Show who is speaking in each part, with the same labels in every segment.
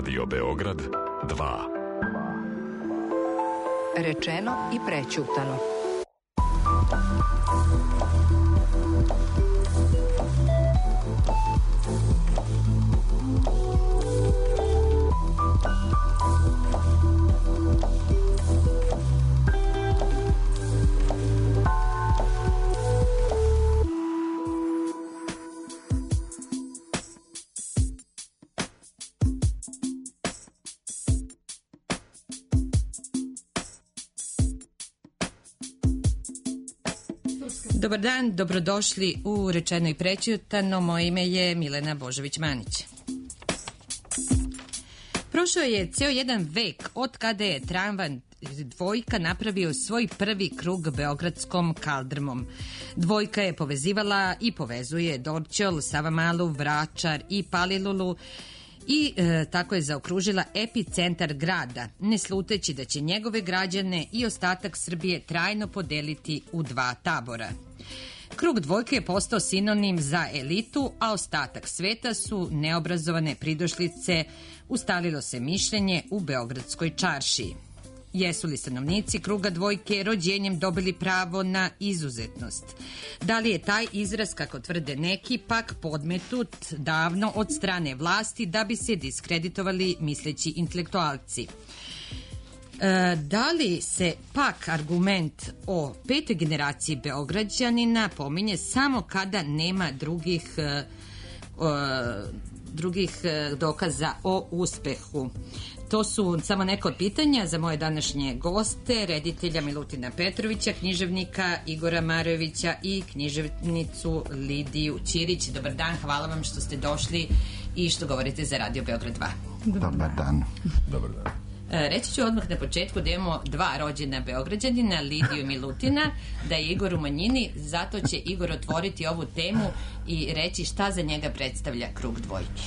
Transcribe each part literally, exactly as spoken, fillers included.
Speaker 1: Radio Beograd dva.
Speaker 2: Rečeno i prećutano.
Speaker 3: Dobar dan, dobrodošli u Rečeno i prećutano. Moje ime je Milena Božović-Manić. Prošao je ceo jedan vek od kada je tramvaj Dvojka napravio svoj prvi krug beogradskom kaldrmom. Dvojka je povezivala i povezuje Dorćol, Savamalu, Vračar i Palilulu i e, tako je zaokružila epicentar grada, ne sluteći da će njegove građane i ostatak Srbije trajno podeliti u dva tabora. Krug Dvojke je postao sinonim za elitu, a ostatak sveta su neobrazovane pridošlice, ustalilo se mišljenje u Beogradskoj čaršiji. Jesu li stanovnici Kruga Dvojke rođenjem dobili pravo na izuzetnost? Da li je taj izraz, kako tvrde neki, pak podmetut davno od strane vlasti da bi se diskreditovali misleći intelektualci? E, da li se pak argument o petoj generaciji Beograđanina pominje samo kada nema drugih, e, e, drugih dokaza o uspehu? To su samo neko od pitanja za moje današnje goste, reditelja Milutina Petrovića, književnika Igora Marojevića i književnicu Lidiju Ćirić. Dobar dan, hvala vam što ste došli i što govorite za Radio Beograd dva.
Speaker 4: Dobar dan.
Speaker 5: Dobar dan.
Speaker 3: Reći ću odmah na početku da imamo dva rođena Beograđanina, Lidiju i Milutina, da je Igor u manjini, zato će Igor otvoriti ovu temu i reći šta za njega predstavlja Krug Dvojke.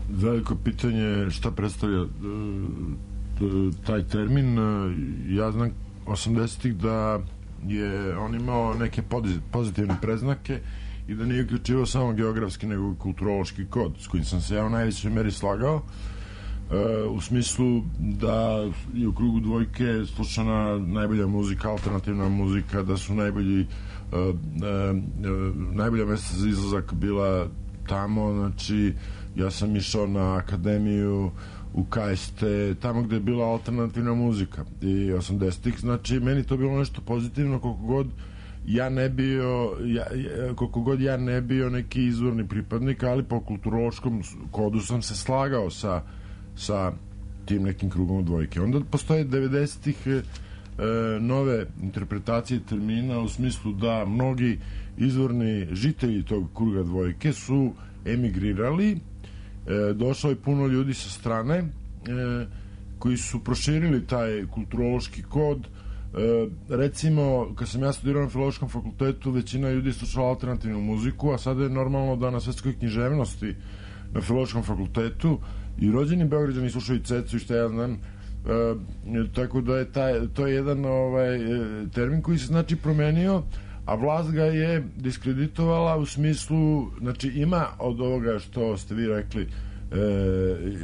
Speaker 5: Veliko pitanje šta predstavlja uh, taj termin. Ja znam osamdesetih da je on imao neke pozitivne preznake i da nije uključivao samo geografski nego i kulturološki kod s kojim sam se ja u najvećoj meri slagao, uh, u smislu da je u Krugu Dvojke slušana najbolja muzika, alternativna muzika, da su najbolji uh, uh, uh, najbolja mesta za izlazak bila tamo, znači ja sam išao na akademiju u K S T, tamo gde je bila alternativna muzika i osamdesetih, znači meni to bilo nešto pozitivno, koliko god ja ne bio ja, koliko god ja ne bio neki izvorni pripadnik, ali po kulturološkom kodu sam se slagao sa, sa tim nekim Krugom Dvojke. Onda postoje devedesetih e, nove interpretacije termina u smislu da mnogi izvorni žitelji tog Kruga Dvojke su emigrirali. E, došlo je puno ljudi sa strane e, koji su proširili taj kulturološki kod. E, recimo, kad sam ja studirao na Filološkom fakultetu, većina ljudi slušala alternativnu muziku, a sada je normalno da na svetskoj književnosti na Filološkom fakultetu i rođeni Beograđani slušaju Cecu i šta ja znam. E, tako da je taj, to je jedan ovaj, termin koji se znači promenio, a vlast ga je diskreditovala u smislu, znači ima od ovoga što ste vi rekli e,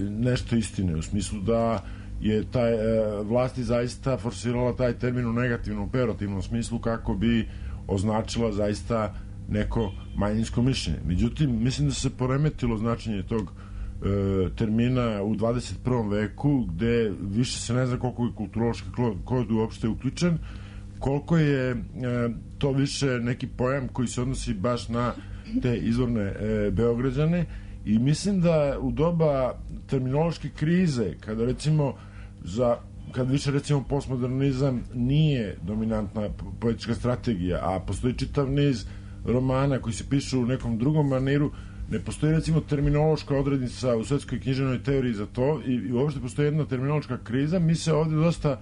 Speaker 5: nešto istine, u smislu da je taj, e, vlast je zaista forsirala taj termin u negativnom, operativnom smislu kako bi označila zaista neko manjinsko mišljenje. Međutim, mislim da se poremetilo značenje tog e, termina u dvadeset prvom veku, gde više se ne zna koliko je kulturološki kod uopšte uključen, koliko je e, to više neki pojam koji se odnosi baš na te izvorne e, Beograđane, i mislim da u doba terminološke krize, kada recimo za, kad više recimo postmodernizam nije dominantna poetička strategija, a postoji čitav niz romana koji se pišu u nekom drugom maniru, ne postoji recimo terminološka odrednica u svetskoj književnoj teoriji za to, i, i uopšte postoji jedna terminološka kriza. Mi se ovde dosta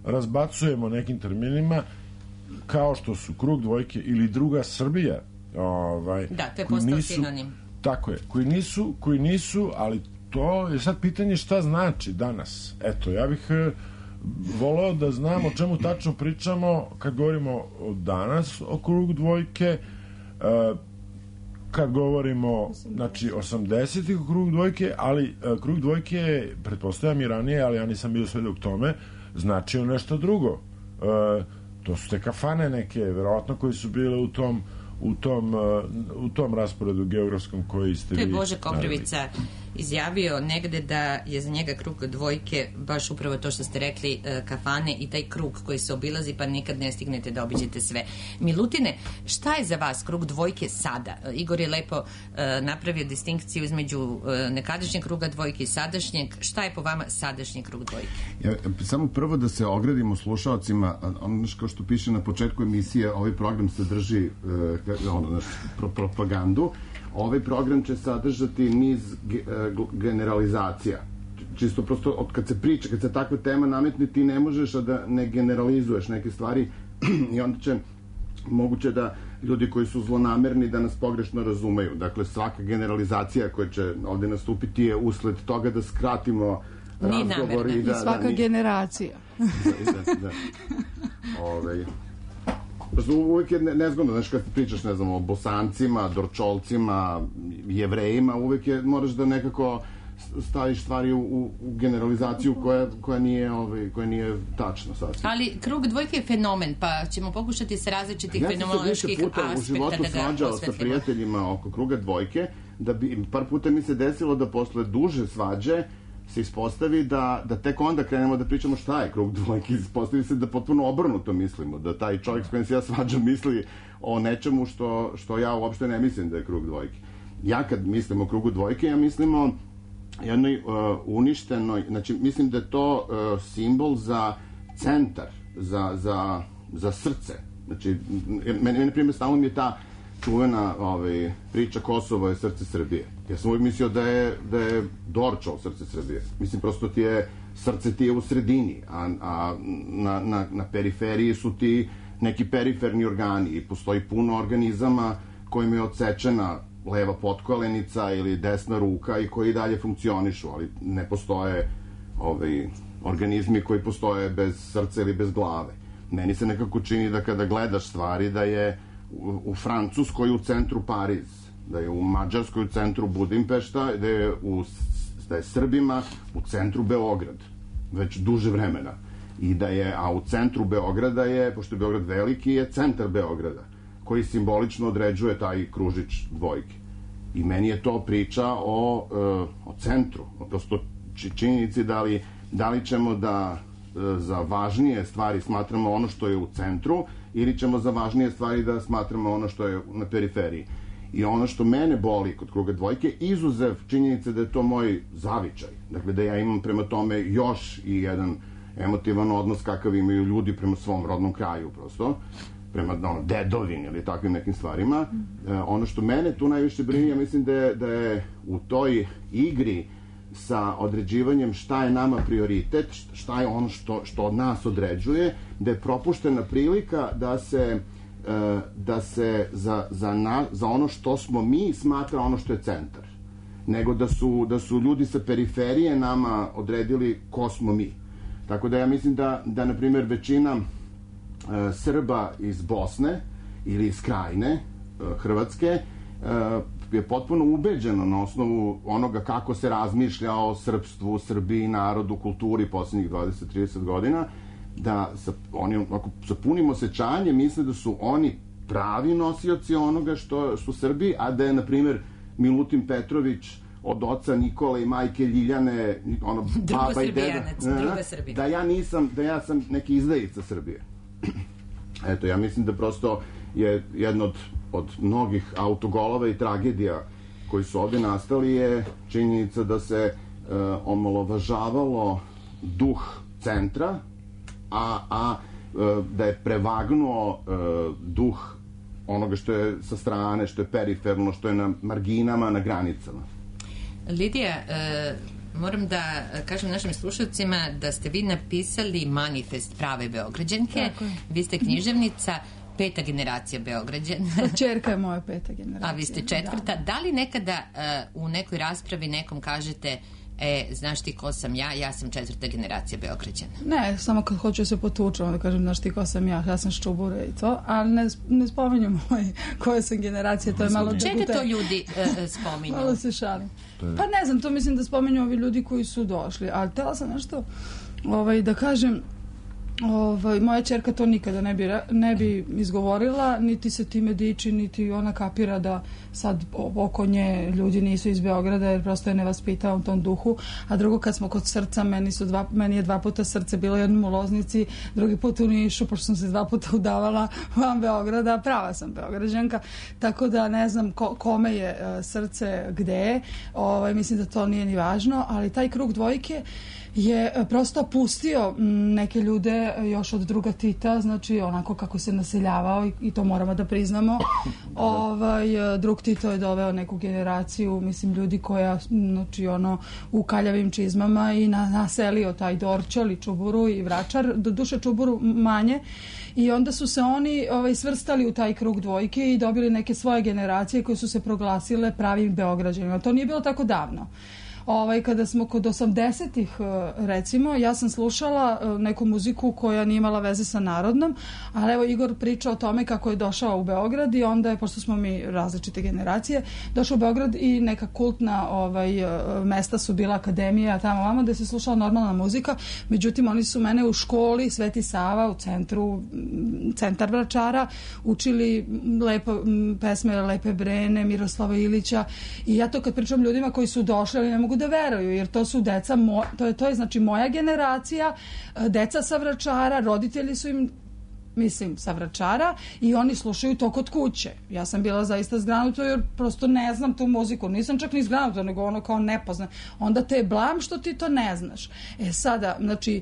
Speaker 5: razbacujemo nekim terminima kao što su Krug Dvojke ili Druga Srbija, ovaj,
Speaker 3: da, to je postao sinonim.
Speaker 5: Tako je, koji nisu, koji nisu, ali to je sad pitanje šta znači danas. Eto, ja bih e, voleo da znam o čemu tačno pričamo kad govorimo o danas o Krugu Dvojke. E, kad govorimo, znači, osamdesetih krug dvojke, ali krug dvojke je, pretpostavljam i ranije, ali ja nisam bio svedok tome, značio nešto drugo. E, to su te kafane neke, verovatno, koji su bile u tom u tom, u tom rasporedu geografskom koji ste vi...
Speaker 3: To je Bože Koprivica izjavio negde da je za njega krug dvojke baš upravo to što ste rekli, kafane i taj krug koji se obilazi pa nikad ne stignete da obiđete sve. Milutine, šta je za vas krug dvojke sada? Igor je lepo uh, napravio distinkciju između uh, nekadašnjeg kruga dvojke i sadašnjeg. Šta je po vama sadašnji krug dvojke?
Speaker 4: Ja, samo prvo da se ogradimo slušalcima, ono kao što piše na početku emisije, ovaj program sadrži uh, ono, naš, pro, propagandu. Ovaj program će sadržati niz generalizacija. Čisto prosto, od kad se priča, kad se takva tema nametne, ti ne možeš a da ne generalizuješ neke stvari i onda će moguće da ljudi koji su zlonamerni da nas pogrešno razumeju. Dakle, svaka generalizacija koja će ovde nastupiti je usled toga da skratimo razgovor.
Speaker 6: I, da, I svaka da, ni... generacija.
Speaker 4: Da, da, da. Ove... Uvijek je nezgodno, znaš, kad pričaš, ne znam, o Bosancima, Dorčolcima, Jevrejima, uvijek je, moraš da nekako staviš stvari u, u generalizaciju koja, koja, nije, ovaj, koja nije tačna sasvim.
Speaker 3: Ali krug dvojke je fenomen, pa ćemo pokušati sa različitih ja fenomenoloških aspekta da ga osvetlimo. Ja sam se više puta u životu svađao sa prijateljima oko kruga dvojke, da bi, par puta mi se desilo da posle duže svađe se ispostavi da, da tek onda krenemo da pričamo šta je krug dvojke. Ispostavi se da potpuno obrnuto mislimo, da taj čovjek s kojim se ja svađam misli o nečemu što, što ja uopšte ne mislim da je krug dvojke. Ja kad mislim o krugu dvojke, ja mislim o jednoj uh, uništenoj, znači mislim da je to uh, simbol za centar, za, za, za srce. Znači, meni, na primjer, stalno mi je ta čuvena ovaj, priča Kosovo je srce Srbije. Ja sam uvijek mislio da je, da je Dorčol srce Srbije. Mislim, prosto ti je, srce ti je u sredini, a, a na, na, na periferiji su ti neki periferni organi i postoji puno organizama kojima je odsečena leva potkolenica ili desna ruka i koji dalje funkcionišu, ali ne postoje ovaj, organizmi koji postoje bez srca ili bez glave. Meni se nekako čini da kada gledaš stvari da je u, u Francuskoj u centru Pariz, da je u Mađarskoj u centru Budimpešta, da je, u, da je Srbima u centru Beograd, već duže vremena. I da je, a u centru Beograda je, pošto je Beograd veliki, je centar Beograda, koji simbolično određuje taj kružić dvojke. I meni je to priča o, o centru, o prosto činjenici da li, da li ćemo da za važnije stvari smatramo ono što je u centru ili ćemo za važnije stvari da smatramo ono što je na periferiji. I ono što mene boli kod kruga dvojke, izuzev činjenice da je to moj zavičaj. Dakle, da ja imam prema tome još i jedan emotivan odnos kakav imaju ljudi prema svom rodnom kraju, prosto, prema ono, dedovini ili takvim nekim stvarima. E, ono što mene tu najviše brini, ja mislim da je, da je u toj igri sa određivanjem šta je nama prioritet, šta je ono što, što od nas određuje, da je propuštena prilika da se da se za, za, na, za ono što smo mi smatra ono što je centar. Nego da su, da su ljudi sa periferije nama odredili ko smo mi. Tako da ja mislim da, da na primjer, većina e, Srba iz Bosne ili iz Krajine, e, Hrvatske, e, je potpuno ubeđeno na osnovu onoga kako se razmišlja o srpstvu, Srbiji, narodu, kulturi posljednjih dvadeset do trideset godina, da sa, oni ako, sa punim osjećanjem misle da su oni pravi nosioci onoga što su Srbi, a da je, na primjer, Milutin Petrović od oca Nikole i majke Ljiljane, ono, baba i deda, da,
Speaker 4: da ja nisam, da ja sam neki izdajica Srbije. Eto, ja mislim da prosto je jedno od, od mnogih autogolova i tragedija koji su ovdje nastali je činjenica da se e, omalovažavalo duh centra, a, a da je prevagnuo e, duh onoga što je sa strane, što je periferno, što je na marginama, na granicama.
Speaker 3: Lidija, e, moram da kažem našim slušalcima da ste vi napisali manifest prave Beograđanke. Vi ste književnica, peta generacija Beograđana.
Speaker 6: Čerka je moja peta generacija.
Speaker 3: A vi ste četvrta. Da, da li nekada uh, u nekoj raspravi nekom kažete E, znaš ti ko sam ja? Ja sam četvrta generacija Beograđana.
Speaker 6: Ne, samo kad hoću se potučem, da kažem, znaš ti ko sam ja, ja sam Ščubure i to, ali ne, ne spominjem moj, koje sam generacije, to je malo...
Speaker 3: Čega to ljudi uh, spominju?
Speaker 6: Malo se šalim. Pa ne znam, to mislim da spominju ovi ljudi koji su došli, ali htjela sam nešto ovaj, da kažem, ovaj, moja ćerka to nikada ne bi, ne bi izgovorila, niti se time diči, niti ona kapira da sad oko nje ljudi nisu iz Beograda, jer prosto je nevaspitao u tom duhu. A drugo, kad smo kod srca, meni, su dva, meni je dva puta srce bilo jednom u Loznici, drugi put u Nišu, pošto sam se dva puta udavala van Beograda, prava sam Beograđanka, tako da ne znam ko, kome je uh, srce gde, ovaj, mislim da to nije ni važno, ali taj krug dvojke je prosto pustio neke ljude još od druga Tita, znači onako kako se naseljavao i, i to moramo da priznamo. Ovaj, drug Tito je doveo neku generaciju, mislim, ljudi koja, znači ono, u kaljavim čizmama i na, naselio taj Dorćol i Čuburu i Vračar, do duše Čuburu manje, i onda su se oni ovaj, svrstali u taj krug dvojke i dobili neke svoje generacije koje su se proglasile pravim Beograđanima. To nije bilo tako davno. Ovaj, kada smo kod osamdesetih, recimo, ja sam slušala neku muziku koja nije imala veze sa narodnom, ali evo Igor priča o tome kako je došao u Beograd i onda je, pošto smo mi različite generacije, došao u Beograd i neka kultna ovaj, mesta su bila akademija tamo vamo gde se slušala normalna muzika, međutim oni su mene u školi Sveti Sava u centru, centar Vračara, učili lepo, pesme Lepe Brene, Miroslava Ilića, i ja to kad pričam ljudima koji su došli, ali ne mogu da veruju, jer to su deca, mo, to je, to je znači moja generacija, deca sa Vračara, roditelji su im, mislim, sa Vračara, i oni slušaju to kod kuće. Ja sam bila zaista zgranuta jer prosto ne znam tu muziku, nisam čak ni zgranuta, nego ono kao nepozna. Onda te je blam što ti to ne znaš. E sada, znači,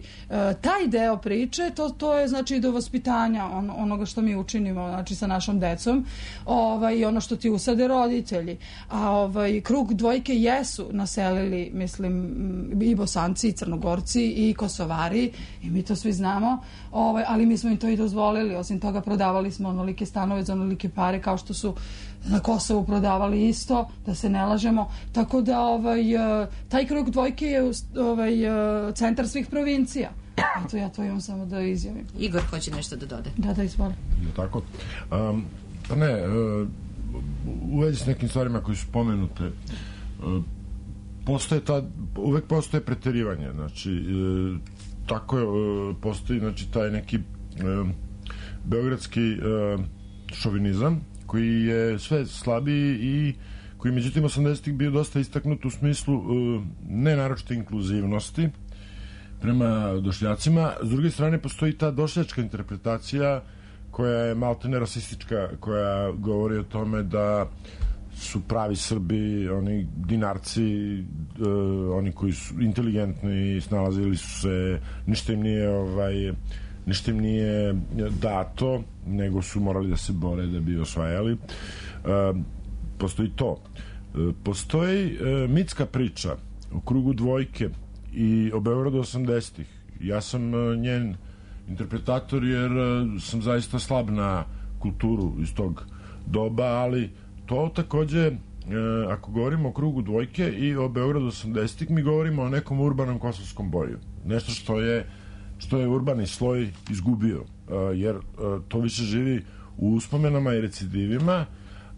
Speaker 6: taj deo priče, to, to je znači do vaspitanja on, onoga što mi učinimo, znači sa našom decom, ovaj, i ono što ti usade roditelji. A ovaj, krug dvojke jesu naselili, mislim, i Bosanci, i Crnogorci, i Kosovari, i mi to svi znamo, ovaj, ali mi smo im to i dozvolili. Osim toga, prodavali smo onolike stanove za onolike pare, kao što su na Kosovu prodavali isto, da se ne lažemo. Tako da ovaj, taj krug dvojke je ovaj, centar svih provincija. Eto, ja to imam samo da izjavim.
Speaker 3: Igor hoće nešto da dode.
Speaker 6: Da, da, izvoli.
Speaker 5: Tako. Um, pa ne, uh, u vezi s nekim stvarima koji su spomenute, uh, postoje ta, uvek postoje preterivanje. Znači, uh, tako je, uh, postoji znači, taj neki uh, beogradski uh, šovinizam koji je sve slabiji i koji međutim osamdesetih bio dosta istaknut u smislu uh, ne naročite inkluzivnosti prema došljacima. S druge strane postoji ta došljačka interpretacija koja je maltene rasistička, koja govori o tome da su pravi Srbi oni dinarci, uh, oni koji su inteligentni, snalazili su se, ništa im nije ovaj ništa im nije dato, nego su morali da se bore da bi osvajali. E, postoji to. E, postoji e, mitska priča o krugu dvojke i o Beogradu osamdesetih. Ja sam e, njen interpretator jer e, sam zaista slab na kulturu iz tog doba, ali to takođe, e, ako govorimo o krugu dvojke i o Beogradu osamdesetih, mi govorimo o nekom urbanom kosovskom boju. Nešto što je što je urbani sloj izgubio, uh, jer uh, to više živi u uspomenama i recidivima.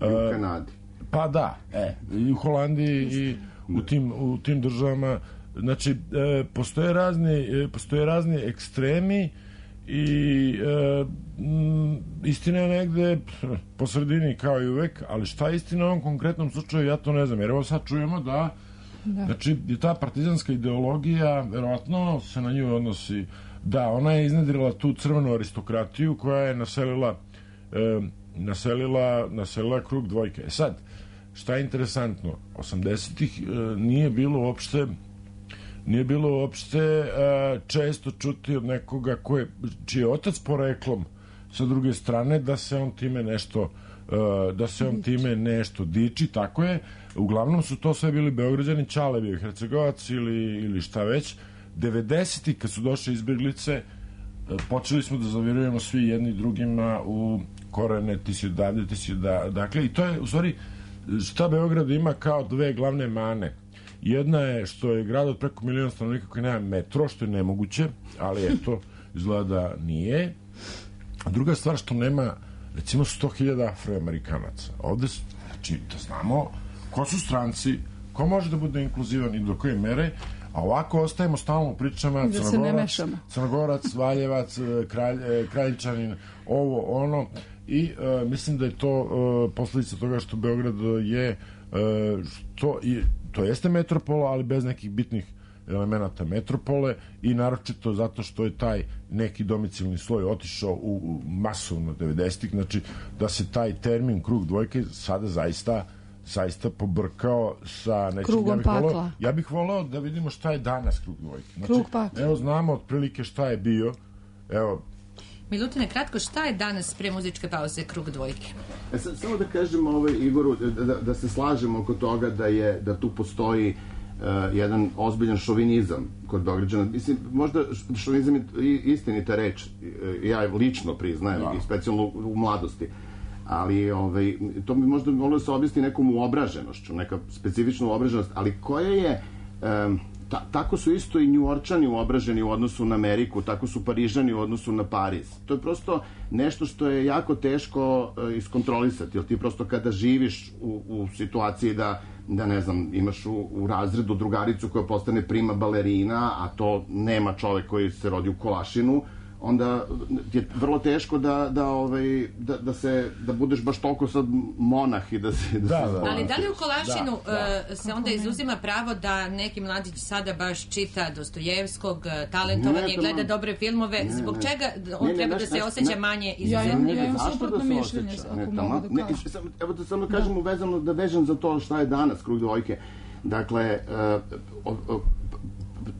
Speaker 4: Uh, I u Kanadi.
Speaker 5: Pa da, e, i u Holandiji i u tim, u tim državama. Znači, e, postoje razni, e, postoje razni ekstremi i e, m, istina je negde po sredini kao i uvek, ali šta je istina u ovom konkretnom slučaju, ja to ne znam, jer evo sad čujemo da, da. Znači, ta partizanska ideologija, verovatno se na nju odnosi. Da, ona je iznedrila tu crvenu aristokratiju koja je naselila, e, naselila, naselila krug dvojke. E sad, šta je interesantno? osamdesetih e, nije bilo uopšte nije bilo uopšte e, često čuti od nekoga koje, čiji je otac poreklom sa druge strane da se on time nešto e, da se on time nešto diči, tako je. Uglavnom su to sve bili Beograđani, Ćale bio Hercegovac ili, ili šta već. devedesetih kad su došle izbjeglice, počeli smo da zavirujemo svi jedni drugima u korene, ti si odavde, ti si odavde. Dakle, i to je, u stvari, šta Beograd ima kao dve glavne mane. Jedna je što je grad od preko miliona stanovnika koji nema metro, što je nemoguće, ali eto, izgleda da nije. A druga stvar što nema, recimo, sto hiljada afroamerikanaca. Ovde, znači, da znamo ko su stranci, ko može da bude inkluzivan i do koje mere, a ovako ostajemo stalno u pričama
Speaker 6: da
Speaker 5: Crnogorac, Crnogorac, Valjevac, kralj, Kraljčanin, ovo, ono, i uh, mislim da je to uh, posledica toga što Beograd je uh, što i, to jeste metropola, ali bez nekih bitnih elemenata metropole i naročito zato što je taj neki domicilni sloj otišao u, u masovno devedesetih, znači da se taj termin krug dvojke sada zaista zaista pobrkao sa nečim.
Speaker 6: Krugom
Speaker 5: ja pakla.
Speaker 6: volao,
Speaker 5: ja bih volao da vidimo šta je danas krug dvojke. Znači,
Speaker 6: krug pakla.
Speaker 5: Evo znamo otprilike šta je bio. Evo,
Speaker 3: Milutine, kratko, šta je danas pre muzičke pauze krug dvojke?
Speaker 4: E, sad, samo da kažem ovaj, Igoru, da, da, da se slažemo oko toga da je da tu postoji uh, jedan ozbiljan šovinizam kod Beograđana. Mislim, možda šovinizam je istinita reč, ja lično priznajem, no. i specijalno u mladosti. Ali ovaj, to bi možda moglo da se objasni nekom uobraženošću, neka specifična uobraženost, ali koja je... Um, Ta, tako su isto i Njujorčani uobraženi u odnosu na Ameriku, tako su Parižani u odnosu na Pariz. To je prosto nešto što je jako teško uh, iskontrolisati, jer ti prosto kada živiš u, u situaciji da, da ne znam, imaš u, u razredu drugaricu koja postane prima balerina, a to nema čovek koji se rodi u Kolašinu, onda je vrlo teško da, da, ovaj, da, da, se, da budeš baš toliko sad monah i da se... Da,
Speaker 5: da,
Speaker 4: se
Speaker 5: da.
Speaker 3: Ali da li u Kolašinu
Speaker 5: da, da.
Speaker 3: Uh, se onda izuzima pravo da neki mladić sada baš čita Dostojevskog, talentovan je, gleda dobre filmove, ne, zbog ne. čega on ne, ne, treba ne, da se ne, osjeća ne, manje izuzetno?
Speaker 6: Ja imam suprotno mišljenje, ako mogu da kažem.
Speaker 4: Evo da samo kažem uvezano, da vežem za to šta je danas krug dvojke. Dakle, uh, uh,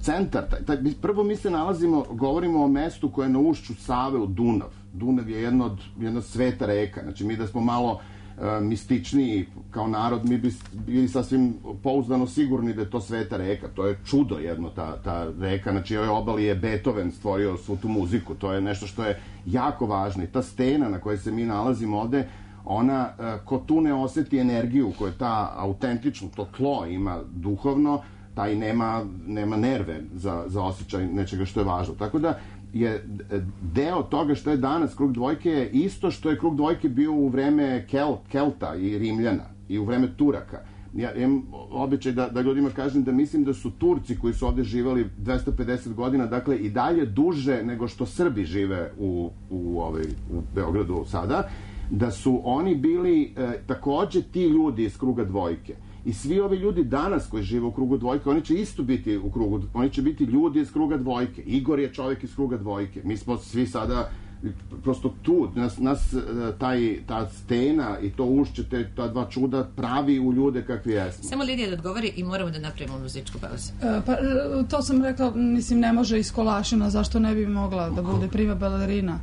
Speaker 4: centar, taj, taj, prvo mi se nalazimo, govorimo o mestu koje je na ušću Save u Dunav. Dunav je jedna od jedna sveta reka. Znači, mi da smo malo uh, mističniji kao narod, mi bi bili sasvim pouzdano sigurni da je to sveta reka. To je čudo jedno, ta, ta reka. Znači, ovoj obali je Beethoven stvorio svu tu muziku. To je nešto što je jako važno. I ta stena na kojoj se mi nalazimo ovde, ona, uh, ko tu ne oseti energiju koju ta autentično, to tlo ima duhovno, taj nema, nema nerve za, za osjećaj nečega što je važno. Tako da je deo toga što je danas krug dvojke isto što je krug dvojke bio u vreme Kel, Kelta i Rimljana i u vreme Turaka. Ja imam običaj da, da ljudima kažem da mislim da su Turci koji su ovde živali dvesta pedeset godina, dakle i dalje duže nego što Srbi žive u, u, ovaj, u Beogradu sada, da su oni bili e, takođe ti ljudi iz kruga dvojke. I svi ovi ljudi danas koji žive u krugu dvojke, oni će isto biti u krugu, oni će biti ljudi iz kruga dvojke. Igor je čovjek iz kruga dvojke. Mi smo svi sada prosto tu, nas, nas taj, ta stena i to ušće, te, ta dva čuda pravi u ljude kakvi jesmo.
Speaker 3: Samo Lidija da odgovori i moramo da napravimo muzičku pauzu.
Speaker 6: E, pa, to sam rekla, mislim, ne može iz Kolašina, zašto ne bi mogla da bude prima balerina?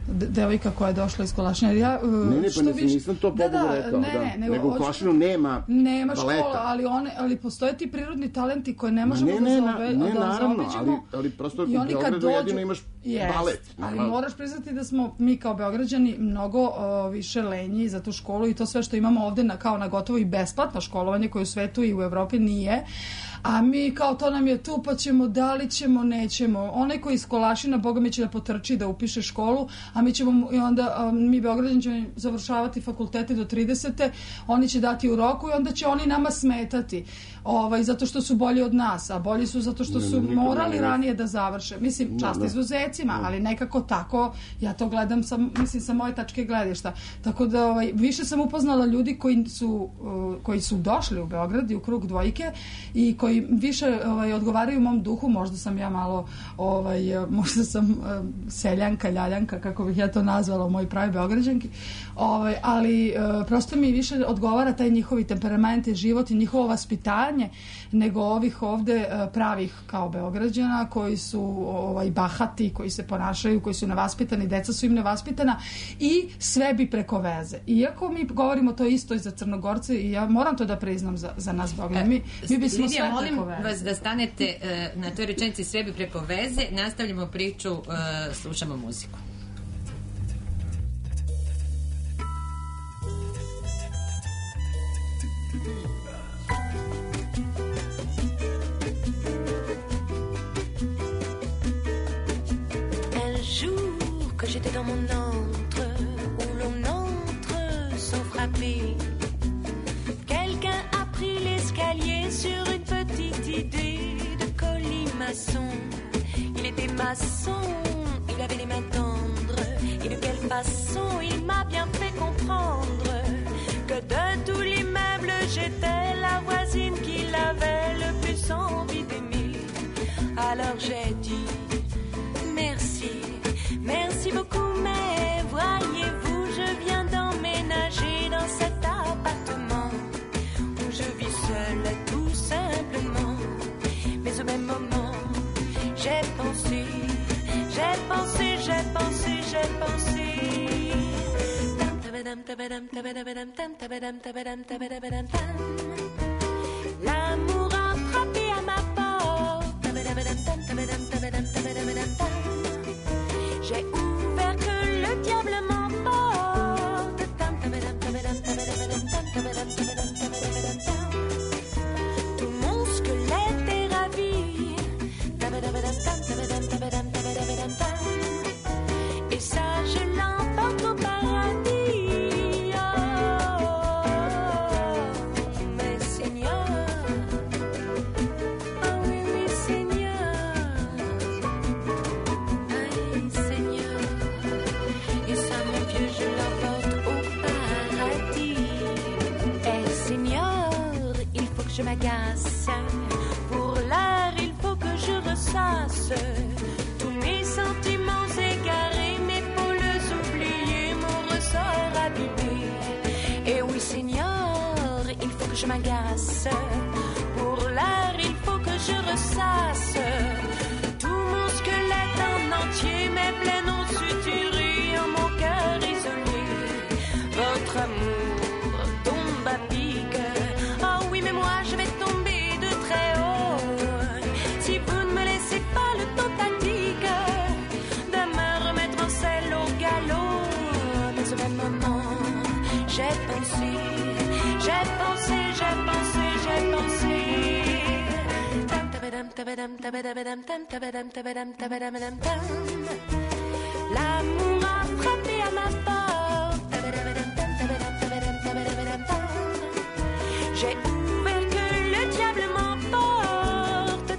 Speaker 6: devojka koja je došla iz Kolašina. Ja,
Speaker 4: ne, ne, pa nisam, nisam to pobogu da, rekao. Ne, da. Ne, nego u Kolašinu nema
Speaker 6: nema
Speaker 4: baleta.
Speaker 6: Škola, ali, one, ali postoje ti prirodni talenti koje ne možemo
Speaker 4: ne, ne,
Speaker 6: da, zaobe,
Speaker 4: ne,
Speaker 6: da
Speaker 4: naravno,
Speaker 6: zaobiđemo.
Speaker 4: Ali, ali prosto u
Speaker 6: Beogradu
Speaker 4: dođu, jedino imaš
Speaker 6: yes,
Speaker 4: balet.
Speaker 6: Ali moraš priznati da smo mi kao Beograđani mnogo uh, više lenji za tu školu i to sve što imamo ovde na, kao na gotovo i besplatno školovanje koje u svetu i u Evropi nije. A mi kao to nam je tu, pa ćemo, da li ćemo, nećemo. Onaj koji iz Kolašina, Boga mi će da potrči da upiše školu, a mi ćemo, i onda, um, mi Beograđani ćemo završavati fakultete do tridesete, oni će dati u roku i onda će oni nama smetati. Ovaj, zato što su bolji od nas, a bolji su zato što su morali ranije da završe. Mislim, čast izuzecima, ali nekako tako, ja to gledam sa, mislim, sa moje tačke gledišta. Tako da, ovaj, više sam upoznala ljudi koji su, uh, koji su došli u Beograd i u krug dvojke i koji više ovaj, odgovaraju mom duhu, možda sam ja malo ovaj, možda sam um, seljanka, ljaljanka, kako bih ja to nazvala u mojoj pravi Beograđanki, ovaj, ali uh, prosto mi više odgovara taj njihovi temperament i život i njihovo vaspitanje nego ovih ovde uh, pravih kao Beograđana koji su ovaj, bahati, koji se ponašaju, koji su nevaspitani, deca su im nevaspitana i sve bi preko veze. Iako mi govorimo to isto i za Crnogorce i ja moram to da priznam za, za nas Beograd. Mi, mi bismo sve
Speaker 3: molim vas da stanete uh, na toj rečenici sve bi preko veze. Nastavljamo priču, uh, slušamo muziku.
Speaker 7: que j'étais dans mon antre où l'on entre sans frapper. Quelqu'un a pris l'escalier sur une petite idée de colimaçon. Il était maçon, il avait les mains tendres. Et de quelle façon il m'a bien fait comprendre que de tout l'immeuble j'étais la voisine qu'il avait le plus envie d'aimer. Alors j'ai dit merci, merci beaucoup, mais voyez-vous, je viens d'emménager dans cet appartement où je vis seule tout simplement. Mais au même moment, j'ai pensé, j'ai pensé, j'ai pensé, j'ai pensé. L'amour a frappé à ma porte. J'ai ouvert que le diable m'emporte. Tout mon squelette est ravi. Et ça je l'emporte au paradis. Oh, mais Seigneur, oh oui, oui Seigneur, aïe Seigneur. Et ça mon Dieu je l'emporte au paradis. Eh Seigneur, il faut que je m'agace. Pour l'heure il faut que je ressasse tous mes sentiments égarés, mes pôles oubliés, mon ressort abîmé. Et oui Seigneur, il faut que je m'agace. Pour l'heure il faut que je ressasse tout mon squelette en entier, mes plaies non suturées, en mon cœur isolé. Votre amour tombe à pic. Oh oui mais moi je vais tomber de très haut si vous ne me laissez pas le temps tactique de me remettre en selle au galop. Mais au même moment, j'ai pensé, j'ai pensé, j'ai pensé, j'ai pensé. L'amour a frappé à ma porte. J'ai ouvert que le diable m'emporte.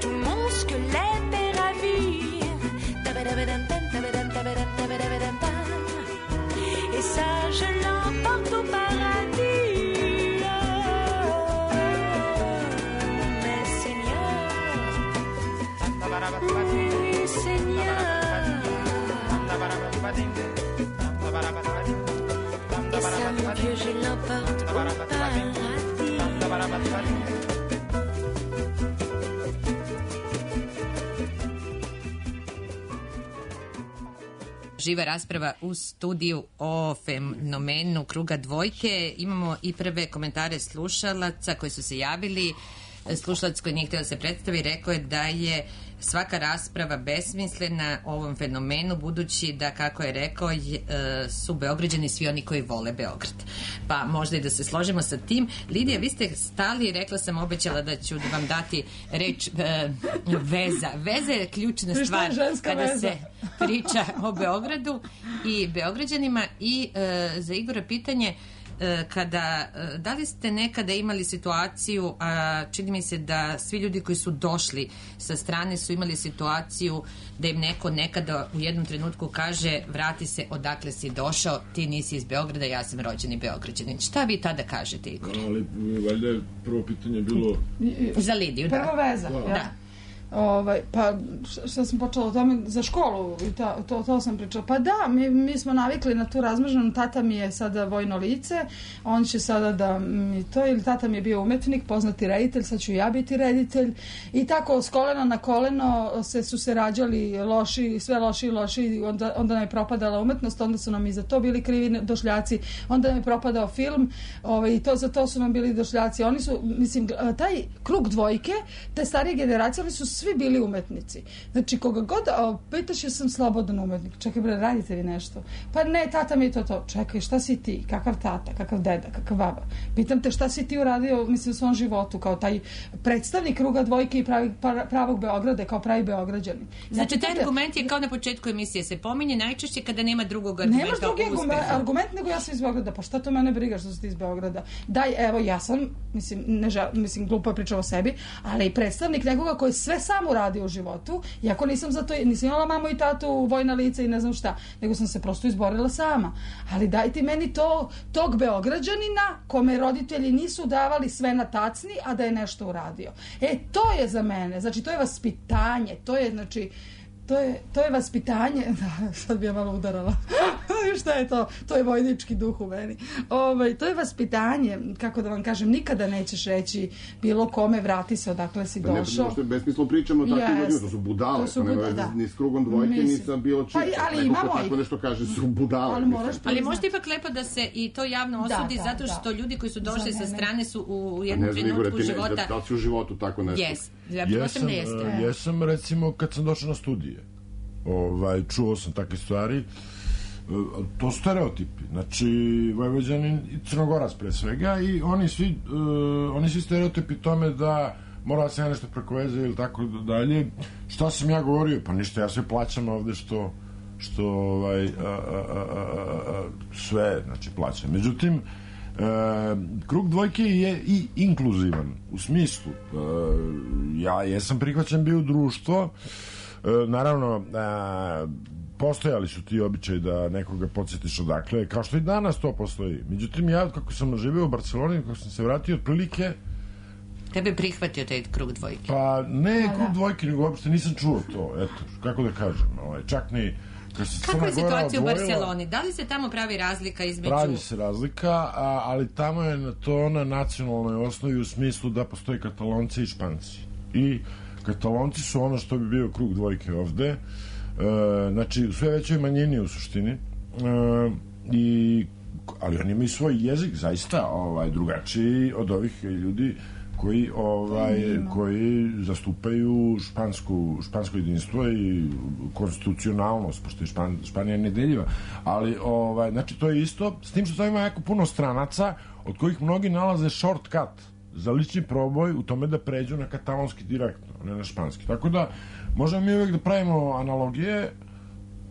Speaker 7: Tout mon squelette est ravi. Et ça je l'emporte au paradis. Oh, mais Seigneur, oui Seigneur. Et ça mon Dieu je l'emporte au paradis.
Speaker 3: Živa rasprava u studiju o fenomenu kruga dvojke. Imamo i prve komentare slušalaca koji su se javili. Slušalac koji nije htio da se predstavi rekao je da je svaka rasprava besmislena o ovom fenomenu, budući da, kako je rekao, su Beograđani svi oni koji vole Beograd. Pa možda i da se složimo sa tim. Lidija, vi ste stali, rekla sam, obećala da ću vam dati reč e, veza. Veza je ključna stvar kada veza. se priča o Beogradu i Beograđanima. I e, za Igora pitanje, kada, da li ste nekada imali situaciju, a čini mi se da svi ljudi koji su došli sa strane su imali situaciju da im neko nekada u jednom trenutku kaže vrati se odakle si došao, ti nisi iz Beograda, ja sam rođeni Beograđanin. Šta vi tada kažete, Igor?
Speaker 5: Ali valjda je prvo pitanje bilo
Speaker 3: za Lidiju, da.
Speaker 6: Prvo veza,
Speaker 3: da.
Speaker 6: ja. Ovaj, pa što sam počela o tome za školu i ta, to, to sam pričala. Pa da, mi, mi smo navikli na tu razmrženu. Tata mi je sada vojno lice, on će sada da mi to, ili tata mi je bio umetnik, poznati reditelj, sad ću ja biti reditelj. I tako s kolena na koleno se, su se rađali loši, sve loši i loši, onda, onda nam je propadala umetnost, onda su nam i za to bili krivi došljaci, onda nam je propadao film, ovaj, i to, za to su nam bili došljaci. Oni su, mislim, taj krug dvojke, te starije generacije, oni su svi bili umetnici. Znači, koga god a, pitaš ja sam slobodan umetnik. Čekaj, bre, radite li nešto? Pa ne, tata mi je to to. Čekaj, šta si ti? Kakav tata? Kakav deda? Kakav baba? Pitam te šta si ti uradio, mislim, u svom životu kao taj predstavnik kruga dvojke i pravi, pravog Beograda, kao pravi Beograđanin.
Speaker 3: Znači, taj argument je kao na početku emisije se pominje najčešće kada nema drugog argumenta.
Speaker 6: Nemaš drugi argument, argument nego ja sam iz Beograda. Pa šta to mene briga što si ti iz Beograda? Daj, evo, ja sam, mislim, ne žel, mislim glupo je pričao o sebi, ali i predstavnik nekoga koji sve sam uradio u životu, iako nisam za to, nisam imala mamu i tatu, vojna lica i ne znam šta, nego sam se prosto izborila sama. Ali daj ti meni to, tog Beograđanina kome roditelji nisu davali sve na tacni, a da je nešto uradio. E, to je za mene, znači to je vaspitanje, to je, znači, To je, to je vaspitanje, da, sad bi ja malo udarala, šta je to, to je vojnički duh u meni, ovaj, to je vaspitanje, kako da vam kažem, nikada nećeš reći bilo kome vrati se odakle si došao.
Speaker 4: Ne, besmisleno pričamo o takvim ljudima, to su budale, to su budale, da. Ni s krugom dvojke, ni sa bilo čim,
Speaker 6: pa, ali neko
Speaker 4: ko tako nešto kaže su budale.
Speaker 6: Ali, moraš
Speaker 3: ali možete ipak lepo da se i to javno osudi, da, da, zato što da. ljudi koji su došli sa strane su u jednom trenutku života...
Speaker 4: Da, da si u životu tako nešto?
Speaker 3: Yes. Ja, jesam,
Speaker 5: uh, jesam, recimo, kad sam došao na studije. Ovaj, čuo sam takve stvari. To su stereotipi. Znači, Vojvođanin i Crnogorac pre svega i oni svi, uh, oni svi stereotipi tome da mora da se ja nešto preko veze ili tako dalje. Šta sam ja govorio? Pa ništa, ja sve plaćam ovde što što ovaj, a, a, a, a, sve, znači, plaćam. Međutim, E, krug dvojke je i inkluzivan u smislu e, ja jesam prihvaćen bio u društvo e, naravno e, postojali su ti običaji da nekoga podsjetiš odakle, kao što i danas to postoji. Međutim, ja kako sam živio u Barceloni, kako sam se vratio otprilike
Speaker 3: tebe prihvatio taj krug dvojke?
Speaker 5: Pa ne krug dvojke, nego uopšte nisam čuo to, eto, kako da kažem, ovaj, čak ni
Speaker 3: kako je situacija u Barceloni? Da li se tamo pravi razlika između...
Speaker 5: Pravi se razlika, a, ali tamo je to na nacionalnoj osnovi u smislu da postoje Katalonci i Španci. I Katalonci su ono što bi bio krug dvojke ovde, e, znači u sve većoj manjini u suštini, e, i, ali oni imaju svoj jezik zaista ovaj, drugačiji od ovih ljudi koji ovaj koji zastupaju špansku špansko jedinstvo i konstitucionalnost, pošto je Špan, Španija nedeljiva, ali ovaj znači to je isto, s tim što to ima jako puno stranaca od kojih mnogi nalaze shortcut za lični proboj u tome da pređu na katalonski direktno, ne na španski. Tako da možemo mi uvijek da pravimo analogije,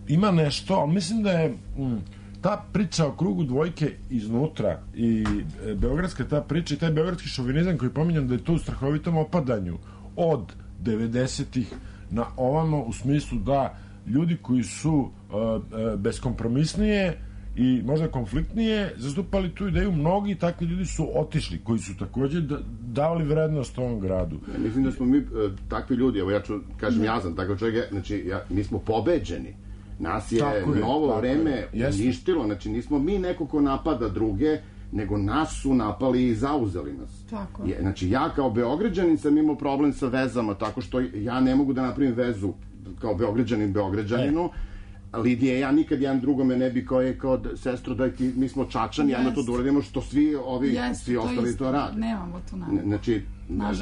Speaker 5: ima nešto, ali mislim da je mm, ta priča o krugu dvojke iznutra i e, beogradska ta priča i taj beogradski šovinizam koji pominjam da je to u strahovitom opadanju od devedesetih na ovamo, u smislu da ljudi koji su e, e, beskompromisnije i možda konfliktnije zastupali tu ideju, mnogi takvi ljudi su otišli, koji su takođe da, davali vrednost ovom gradu.
Speaker 4: Ja mislim da smo mi e, takvi ljudi, evo ja ću kažem, ja sam takav čovjek, znači ja, mi smo pobeđeni. Nas je tako novo je, vreme uništilo, znači nismo mi neko ko napada druge, nego nas su napali i zauzeli nas.
Speaker 6: Tako.
Speaker 4: Je, znači ja kao Beograđanin sam imao problem sa vezama, tako što ja ne mogu da napravim vezu kao Beograđanin Beograđaninu. E. Lidije, ja nikad jedan drugome ne bi kao je kao sestro, daj ti, mi smo Čačani, ja na to da uradimo što svi ovi, Jest, svi ostali to, to rade.
Speaker 6: Nemamo tu naravno.
Speaker 4: Znači,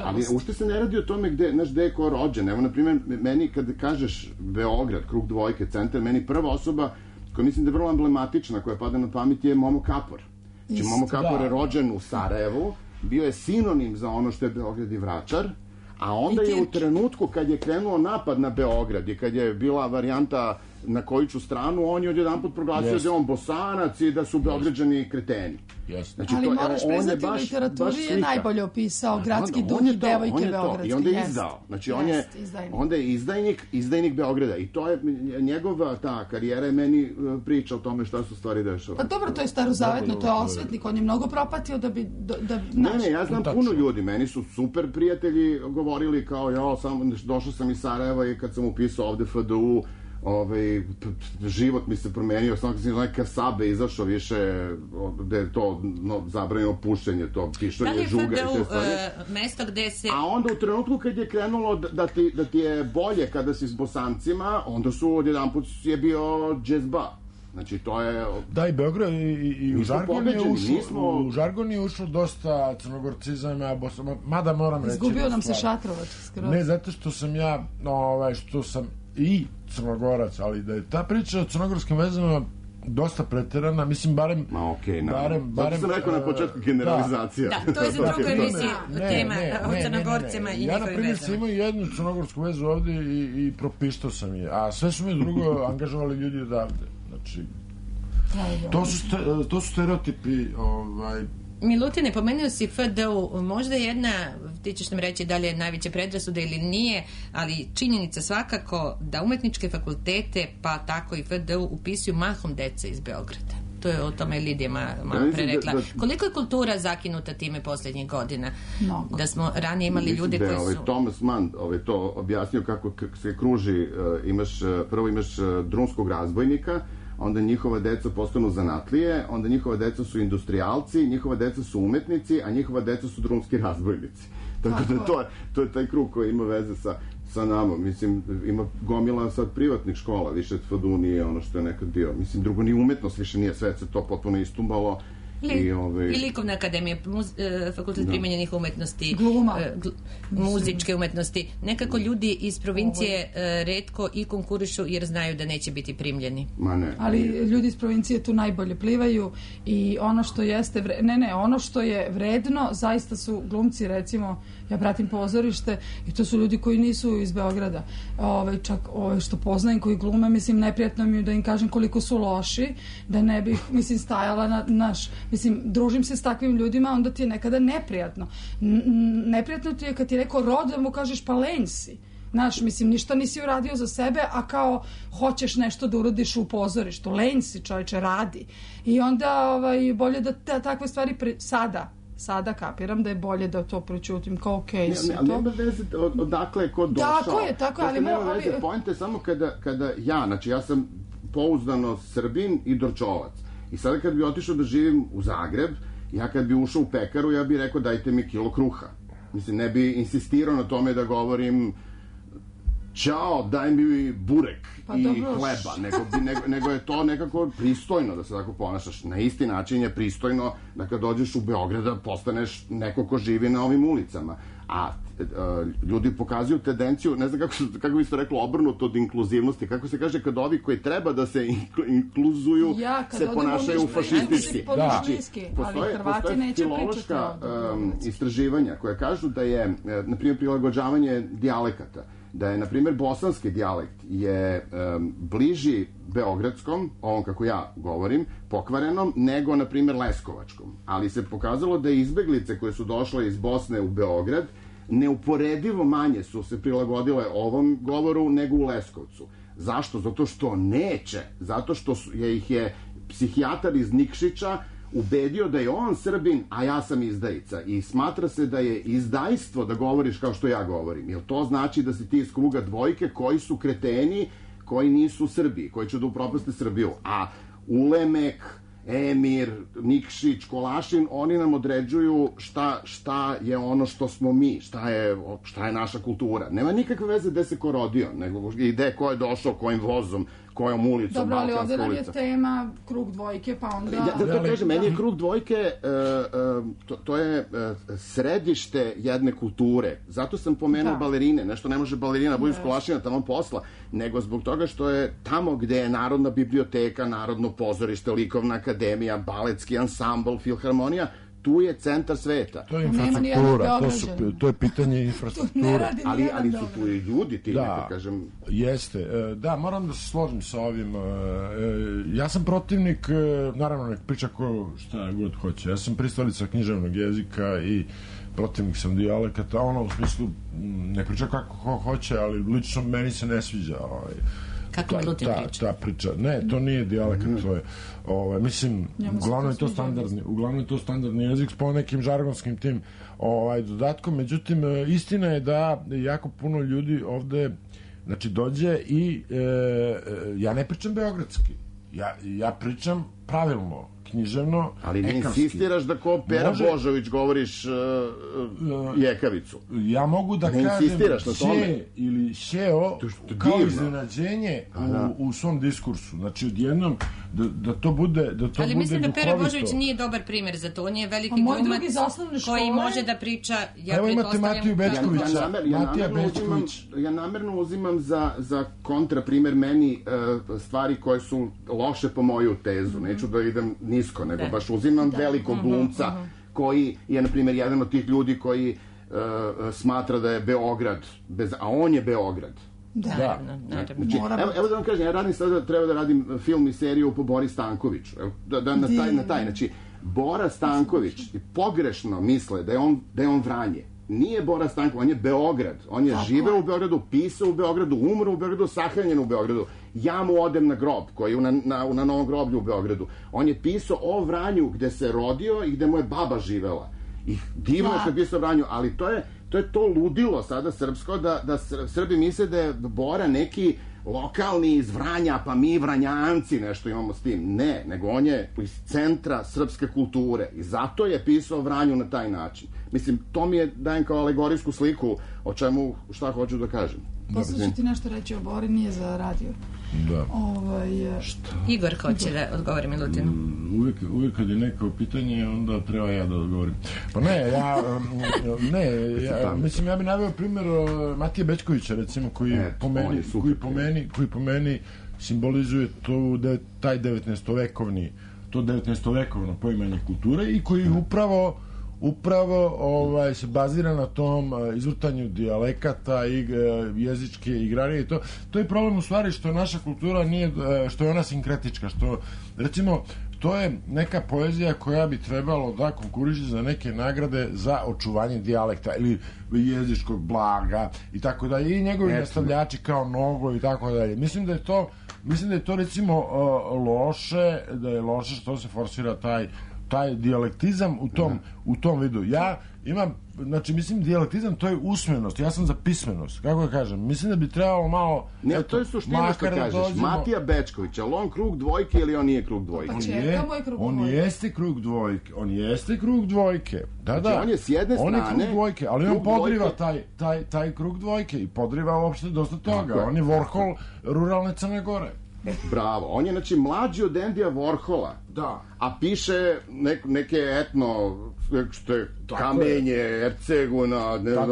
Speaker 4: ali ušte se ne radi o tome gde, znaš, gde je ko rođen. Evo, na primjer, meni kad kažeš Beograd, krug dvojke, centar, meni prva osoba koja mislim da je vrlo emblematična, koja pada na pamet je Momo Kapor. Znači, Momo Kapor da. je rođen u Sarajevu, bio je sinonim za ono što je Beograd i Vračar, a onda je u trenutku kad je krenuo napad na Beograd i kad je bila varijanta na koju ću stranu, on je odjedanput proglasio yes. da je on Bosanac i da su Beograđani kreteni.
Speaker 5: Yes.
Speaker 6: Znači, ali to, moraš priznati, u literaturi je najbolje opisao gradski duh i devojke beogradske.
Speaker 4: I onda je izdao. Znači,
Speaker 6: jest,
Speaker 4: on je,
Speaker 6: izdajnik.
Speaker 4: onda je izdajnik, izdajnik Beograda. I to je, njegova ta karijera je meni priča o tome šta su stvari dešava.
Speaker 6: Pa dobro, to je starozavetno, to je osvetnik, on je mnogo propatio da bi... Da, da,
Speaker 4: ne, ne, ja znam puno ljudi, meni su super prijatelji govorili kao, ja, sam, došao sam iz Sarajeva i kad sam upisao ovde F D U, ovaj, život mi se promenio, sam kad sam neka Sabe izašao više, gde je to no, zabranjeno pušenje, to pišanje žuga i te stvari.
Speaker 3: Uh, mesto gde se...
Speaker 4: A onda u trenutku kad je krenulo da, da, ti, da ti je bolje kada si s Bosancima, onda su odjedanput je bio džezba. Znači, to je...
Speaker 5: Da, i Beograd i, i u, žargon je ušlo,
Speaker 4: nismo...
Speaker 5: u žargon je ušlo dosta crnogorcizama, mada moram reći...
Speaker 6: Izgubio nam se Šatrovac skroz.
Speaker 5: Ne, zato što sam ja, ovaj, što sam i crnogorac, ali da je ta priča o crnogorskim vezama dosta preterana, mislim, barem...
Speaker 4: Ma okej, okay,
Speaker 5: barem, barem,
Speaker 4: zato sam rekao na početku generalizacija.
Speaker 3: Da, to je za drugu emisiju tema o Crnogorcima i njihovim vezama.
Speaker 5: Ja, na primjer, sam imao jednu crnogorsku vezu ovde i, i propištao sam je, a sve su mi drugo angažovali ljudi odavde. Znači, to su, ste, to su stereotipi, ovaj...
Speaker 3: Milutine, pomenuo si F D U, možda jedna, ti ćeš nam reći da li je najveća predrasuda ili nije, ali činjenica svakako da umetničke fakultete, pa tako i F D U, upisuju mahom deca iz Beograda. To je o tome Lidija malo pre rekla. Koliko je kultura zakinuta time posljednjih godina?
Speaker 6: Mnogo.
Speaker 3: Da smo ranije imali
Speaker 4: mislim
Speaker 3: ljude
Speaker 4: da
Speaker 3: koji su...
Speaker 4: Ovaj Thomas Mann ovaj, to objasnio kako se kruži, uh, imaš, uh, prvo imaš uh, drumskog razbojnika, onda njihova deca postanu zanatlije, onda njihova deca su industrijalci, njihova deca su umetnici, a njihova deca su drumski razbojnici. Tako da to je, to je taj krug koji ima veze sa, sa nama. Mislim, ima gomila sad privatnih škola, više F D U nije ono što je nekad bio. Mislim, drugo ni umetnost više nije, sve se to potpuno istumbalo.
Speaker 3: Li, I, ove... I likovna akademija, muz, e, fakultet da. primenjenih umetnosti,
Speaker 6: Gluma.
Speaker 3: E, gl, muzičke umetnosti. Nekako ljudi iz provincije e, retko i konkurišu jer znaju da neće biti primljeni.
Speaker 4: Ma ne.
Speaker 6: Ali ljudi iz provincije tu najbolje plivaju i ono što jeste, vre... ne ne, ono što je vredno, zaista su glumci, recimo, ja pratim pozorište i to su ljudi koji nisu iz Beograda. Ove, čak ove što poznajem koji glume, mislim, neprijatno mi je da im kažem koliko su loši, da ne bih, mislim, stajala na naš... Mislim, družim se s takvim ljudima, onda ti je nekada neprijatno. N- neprijatno ti je kad ti neko rod, da mu kažeš pa lenj si. Znaš, mislim, ništa nisi uradio za sebe, a kao hoćeš nešto da uradiš u pozorištu. Lenj si, čovječe, radi. I onda ovaj, bolje da ta, takve stvari pre... sada sada kapiram da je bolje da to prećutim kao okej okay,
Speaker 4: ne, ne, nema veze od, odakle je ko došao.
Speaker 6: Tako je, tako je. Ali
Speaker 4: nema
Speaker 6: mo,
Speaker 4: veze,
Speaker 6: ovi...
Speaker 4: pojente samo kada, kada ja, znači ja sam pouzdano Srbin i Dorčovac. I sada kad bi otišao da živim u Zagreb, ja kad bi ušao u pekaru, ja bih rekao dajte mi kilo kruha. Mislim, ne bi insistirao na tome da govorim čao, daj mi burek pa i dobro. Hleba, nego, bi, nego, nego je to nekako pristojno da se tako ponašaš. Na isti način je pristojno da kad dođeš u Beograda postaneš neko ko živi na ovim ulicama. A e, ljudi pokazuju tendenciju, ne znam kako, kako bi se reklo, obrnuto od inkluzivnosti, kako se kaže kad ovi koji treba da se inkluzuju
Speaker 6: ja,
Speaker 4: se ponašaju fašistički.
Speaker 6: Da. Postoje, postoje
Speaker 4: filološka um, istraživanja koja kažu da je, na primjer, prilagođavanje dijalekata, da je, na primjer, bosanski dijalekt je um, bliži beogradskom, ovom kako ja govorim, pokvarenom, nego, na primjer, leskovačkom. Ali se pokazalo da izbeglice koje su došle iz Bosne u Beograd neuporedivo manje su se prilagodile ovom govoru nego u Leskovcu. Zašto? Zato što neće. Zato što je ih je psihijatar iz Nikšića ubedio da je on Srbin, a ja sam izdajica. I smatra se da je izdajstvo da govoriš kao što ja govorim. Jer to znači da si ti iz kruga dvojke koji su kreteni, koji nisu Srbi, koji će da upropaste Srbiju. A Ulemek, Emir, Nikšić, Kolašin, oni nam određuju šta, šta je ono što smo mi, šta je, šta je naša kultura. Nema nikakve veze gde se ko rodio, nego i gde ko je došao, kojim vozom, kojom ulicom,
Speaker 6: dobro, ali ovdje nam je
Speaker 4: ulica.
Speaker 6: tema krug dvojke, pa onda...
Speaker 4: Ja, da to kažem, meni je krug dvojke, uh, uh, to, to je uh, središte jedne kulture. Zato sam pomenuo da. balerine. Nešto ne može balerina budu s Kolašina tamo posla, nego zbog toga što je tamo gde je Narodna biblioteka, Narodno pozorište, Likovna akademija, baletski ansambl, filharmonija, tu je centar sveta.
Speaker 5: To je infrastruktura, to, su, to je pitanje infrastrukture.
Speaker 4: ali, ali su tu i ljudi, ti da, neka kažem...
Speaker 5: Jeste. Da, moram da se složim sa ovim. Ja sam protivnik, naravno nek priča ko šta god hoće. Ja sam pristalica književnog jezika i protivnik sam dijalekata, ono u smislu ne priča kako ko hoće, ali lično meni se ne sviđa ovaj
Speaker 3: kako mi Lutin priča.
Speaker 5: Ta priča. Ne, to nije dijalekat, mm. to je. Ovaj, mislim, uglavnom je to standardni, uglavnom je to standardni jezik s po nekim žargonskim tim ovaj, dodatkom. Međutim, istina je da jako puno ljudi ovde, znači, dođe i e, ja ne pričam beogradski. Ja, ja pričam pravilno, književno,
Speaker 4: ali ne
Speaker 5: ekavski.
Speaker 4: insistiraš da ko Pera
Speaker 5: Može...
Speaker 4: Božović govoriš uh, uh, jekavicu.
Speaker 5: Ja mogu da
Speaker 4: ne
Speaker 5: kažem
Speaker 4: še
Speaker 5: ili šeo
Speaker 4: to to
Speaker 5: kao
Speaker 4: divno.
Speaker 5: iznenađenje u, u svom diskursu. Znači, odjednom da, da to bude da to
Speaker 3: ali
Speaker 5: bude
Speaker 3: mislim da Pera
Speaker 5: duhovito.
Speaker 3: Božović nije dobar primjer za to. On je veliki
Speaker 6: moj
Speaker 3: glumac
Speaker 6: drugi za osnovne škole...
Speaker 3: koji može da priča. Ja
Speaker 5: Evo imate Matiju Bečkovića.
Speaker 4: Ja, ja, namer, ja,
Speaker 5: Matija
Speaker 4: namerno uzimam,
Speaker 5: Bečković.
Speaker 4: ja namerno uzimam za, za kontra primjer meni uh, stvari koje su loše po moju tezu. Mm-hmm. Neću da idem nisko, nego da. baš uzimam da. velikog glumca mm-hmm. koji je, na primjer, jedan od tih ljudi koji uh, smatra da je Beograd, bez, a on je Beograd.
Speaker 6: Da,
Speaker 3: naravno, naravno.
Speaker 4: Znači, evo, evo da vam kažem, ja radim sada, treba da radim film i seriju po Bori Stankoviću. Evo, da, da, na taj, na taj, znači, Bora Stanković pogrešno misle da je on, da je on Vranje. Nije Bora Stanković, on je Beograd. On je živeo u Beogradu, pisao u Beogradu, umro u Beogradu, sahranjen u Beogradu. Ja mu odem na grob, koji je na, na, na Novom groblju u Beogradu. On je pisao o Vranju gde se rodio i gde mu je baba živela. I divno je što je pisao o Vranju, ali to je to je to ludilo sada srpsko, da, da Srbi misle da je Bora neki lokalni iz Vranja, pa mi Vranjanci nešto imamo s tim. Ne, nego on je iz centra srpske kulture i zato je pisao o Vranju na taj način. Mislim, to mi je dajem kao alegorijsku sliku o čemu, šta hoću da kažem.
Speaker 6: Posle ću ti nešto reći o Bori, nije za radio.
Speaker 5: Da.
Speaker 6: Ovaj,
Speaker 5: šta?
Speaker 3: Igor hoće da odgovori Milutinu.
Speaker 5: Uvijek, uvijek kad je neko pitanje, onda treba ja da odgovorim. Pa ne, ja, ne, ja, mislim, ja bih naveo primjer Matije Bečkovića, recimo, koji,
Speaker 4: Et,
Speaker 5: po meni, koji, po meni, koji po meni simbolizuje to, da, taj devetnaestovekovni, to devetnaestovekovno poimanje kulture i koji upravo upravo ovaj, se bazira na tom uh, izvrtanju dijalekata i uh, jezičke igrarije i to. To je problem u stvari što naša kultura nije, uh, što je ona sinkretička, što recimo to je neka poezija koja bi trebalo da konkuriše za neke nagrade za očuvanje dijalekta ili jezičkog blaga i tako dalje i njegovi nastavljači kao Nogo i tako dalje. Mislim da je to mislim da je to recimo uh, loše, da je loše što se forsira taj taj dijalektizam u tom, u tom vidu. Ja imam, znači, mislim, dijalektizam to je usmenost, ja sam za pismenost, kako da kažem, mislim da bi trebalo malo...
Speaker 4: Ne,
Speaker 5: eto,
Speaker 4: to je suština što kažeš, dođemo... Matija Bečković, ali on krug dvojke ili on nije krug dvojke?
Speaker 6: Pa
Speaker 5: on,
Speaker 6: je, krug
Speaker 5: on
Speaker 6: dvojke.
Speaker 5: jeste krug dvojke, on jeste krug dvojke, da,
Speaker 4: znači,
Speaker 5: da.
Speaker 4: on je s jedne strane...
Speaker 5: On je krug dvojke, ali on podriva
Speaker 4: dvojke...
Speaker 5: taj, taj, taj krug dvojke i podriva uopšte dosta toga, tako, on je Warhol ruralne Crne Gore.
Speaker 4: Bravo, on je, znači, mlađi od Endija Warhola.
Speaker 5: Da.
Speaker 4: A piše nek, neke etno, što je Kamenje, Erceguna, ne znam,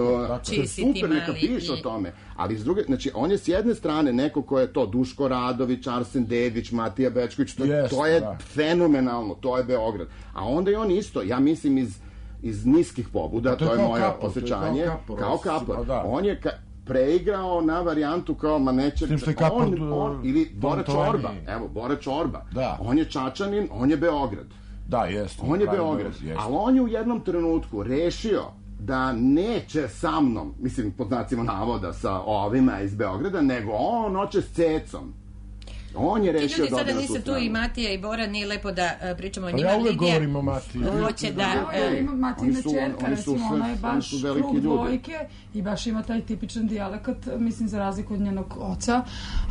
Speaker 4: super, neka piše o tome. Ali s druge, znači, on je s jedne strane neko ko je to Duško Radović, Arsen Dedić, Matija Bečković, to, yes, to je da. fenomenalno, to je Beograd. A onda je on isto, ja mislim, iz, iz niskih pobuda, to, to je moje kapor, osjećanje, kao, kao kapor. Da. On je... Ka, preigrao na varijantu kao ma neće on, on, ili Bora Čorba, evo Bora Čorba, da. On je Čačanin, on je Beograd,
Speaker 5: da, jest,
Speaker 4: on je Beograd, ali on je u jednom trenutku rešio da neće sa mnom, mislim pod znacima navoda sa ovima iz Beograda, nego on hoće s Cecom. On je rešio da
Speaker 3: sada nisu tu i Matija i Bora, nije lepo da uh, pričamo o njima.
Speaker 5: Pa ja uvek govorim o Matiji.
Speaker 3: Hoće da...
Speaker 6: Ja imam Matijina čerka, recimo, ona je baš krug dvojke i baš ima taj tipičan dijalekat, mislim, za razliku od njenog oca.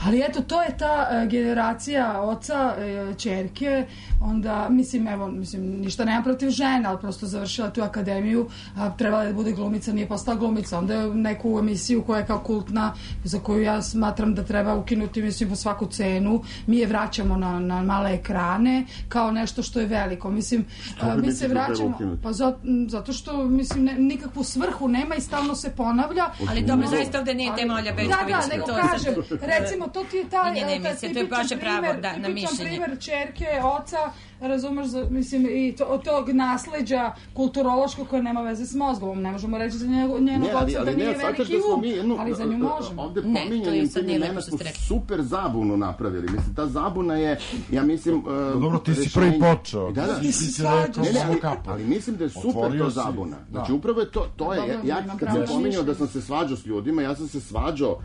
Speaker 6: Ali eto, to je ta uh, generacija oca, uh, čerke, onda, mislim, evo, mislim, ništa nema protiv žene, ali prosto završila tu akademiju, a trebala da bude glumica, nije postala glumica. Onda je neku emisiju koja je kao kultna, za koju ja smatram da treba ukinuti, mislim, po svaku cenu. Mi je vraćamo na, na male ekrane kao nešto što je veliko. Mislim, a, mi se vraćamo pa zato, zato što mislim ne, nikakvu svrhu nema i stalno se ponavlja.
Speaker 3: Ali dobro, zaista ovde nije tema Olja Bečković.
Speaker 6: Da, da, nego to kažem, recimo, to ti je taj,
Speaker 3: ne, ne, taj tipičan primjer, da, tipičan primjer čerke, oca, razumeš, mislim, i to, od tog nasleđa kulturološkog koje nema veze s mozgom. Ne možemo reći za njenog oca da nije veliki um, ali za nju možemo.
Speaker 4: Ovde pominjanjem tim imena smo super zabunu napravili. Mislim, ta zabuna je, ja mislim... Uh,
Speaker 5: dobro, ti si prvi počeo.
Speaker 4: Da, da,
Speaker 6: ti si svađaš.
Speaker 4: Ne, ne, ali, ali mislim da je super to zabuna. Znači, upravo je to, to je, ja, ja kad sam pominjao da sam se svađao s ljudima, ja sam se svađao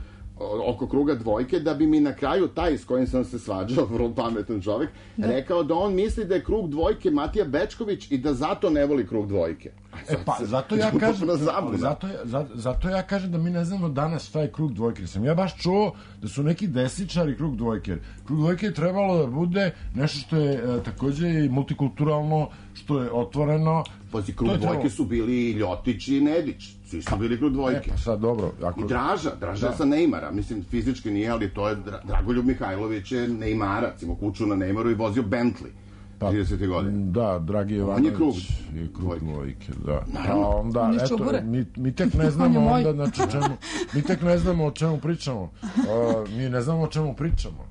Speaker 4: oko kruga dvojke, da bi mi na kraju taj s kojim sam se svađao, vrlo pametan čovjek, da. rekao da on misli da je krug dvojke Matija Bečković i da zato ne voli krug dvojke.
Speaker 5: E pa, zato ja kažem,
Speaker 4: zabuna.
Speaker 5: zato, ja- za- zato ja kažem da mi ne znamo danas šta je krug dvojke. Jer sam ja baš čuo da su neki desničari krug dvojke. Krug dvojke je trebalo da bude nešto što je e, takođe i multikulturalno, što je otvoreno.
Speaker 4: Pazi,
Speaker 5: To
Speaker 4: krug
Speaker 5: je
Speaker 4: dvojke
Speaker 5: trebalo.
Speaker 4: su bili i Ljotić i Nedić. Svi su bili krug
Speaker 5: E
Speaker 4: dvojke.
Speaker 5: pa sad dobro. Ako...
Speaker 4: I Draža, Draža
Speaker 5: Da.
Speaker 4: sa Neymara, mislim fizički nije, ali to je Dra- Dragoljub Mihajlović je Neymarac, imao kuću na Neymaru i vozio Bentley.
Speaker 5: Pa,
Speaker 4: tridesetih godina.
Speaker 5: Da, Dragi
Speaker 4: On je krug
Speaker 5: Jovanović je krug
Speaker 4: dvojke.
Speaker 5: dvojke, da.
Speaker 4: Naravno.
Speaker 5: Pa onda,
Speaker 6: On iz
Speaker 5: eto,
Speaker 6: Čubure.
Speaker 5: mi, mi tek ne
Speaker 6: On je
Speaker 5: znamo
Speaker 6: moj.
Speaker 5: onda, znači, o čemu, mi tek ne znamo o čemu pričamo. Uh, mi ne znamo o čemu pričamo.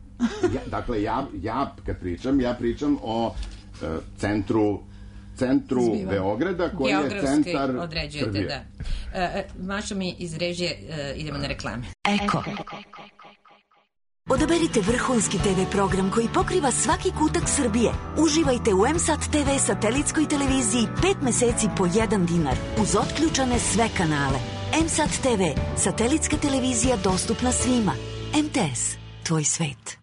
Speaker 4: Ja, dakle, ja, ja kad pričam, ja pričam o e, centru centru
Speaker 6: Zbivanja.
Speaker 4: Beograda koji je
Speaker 3: Geografski
Speaker 4: centar
Speaker 3: određujete,
Speaker 4: Srbije.
Speaker 3: da. E, e, Mašo mi iz režije, e, idemo na reklame.
Speaker 2: Eko.
Speaker 8: Odaberite vrhunski te ve program koji pokriva svaki kutak Srbije. Uživajte u M-Sat te ve satelitskoj televiziji pet meseci po jedan dinar uz otključane sve kanale. M-Sat te ve, satelitska televizija dostupna svima. em te es, tvoj svet.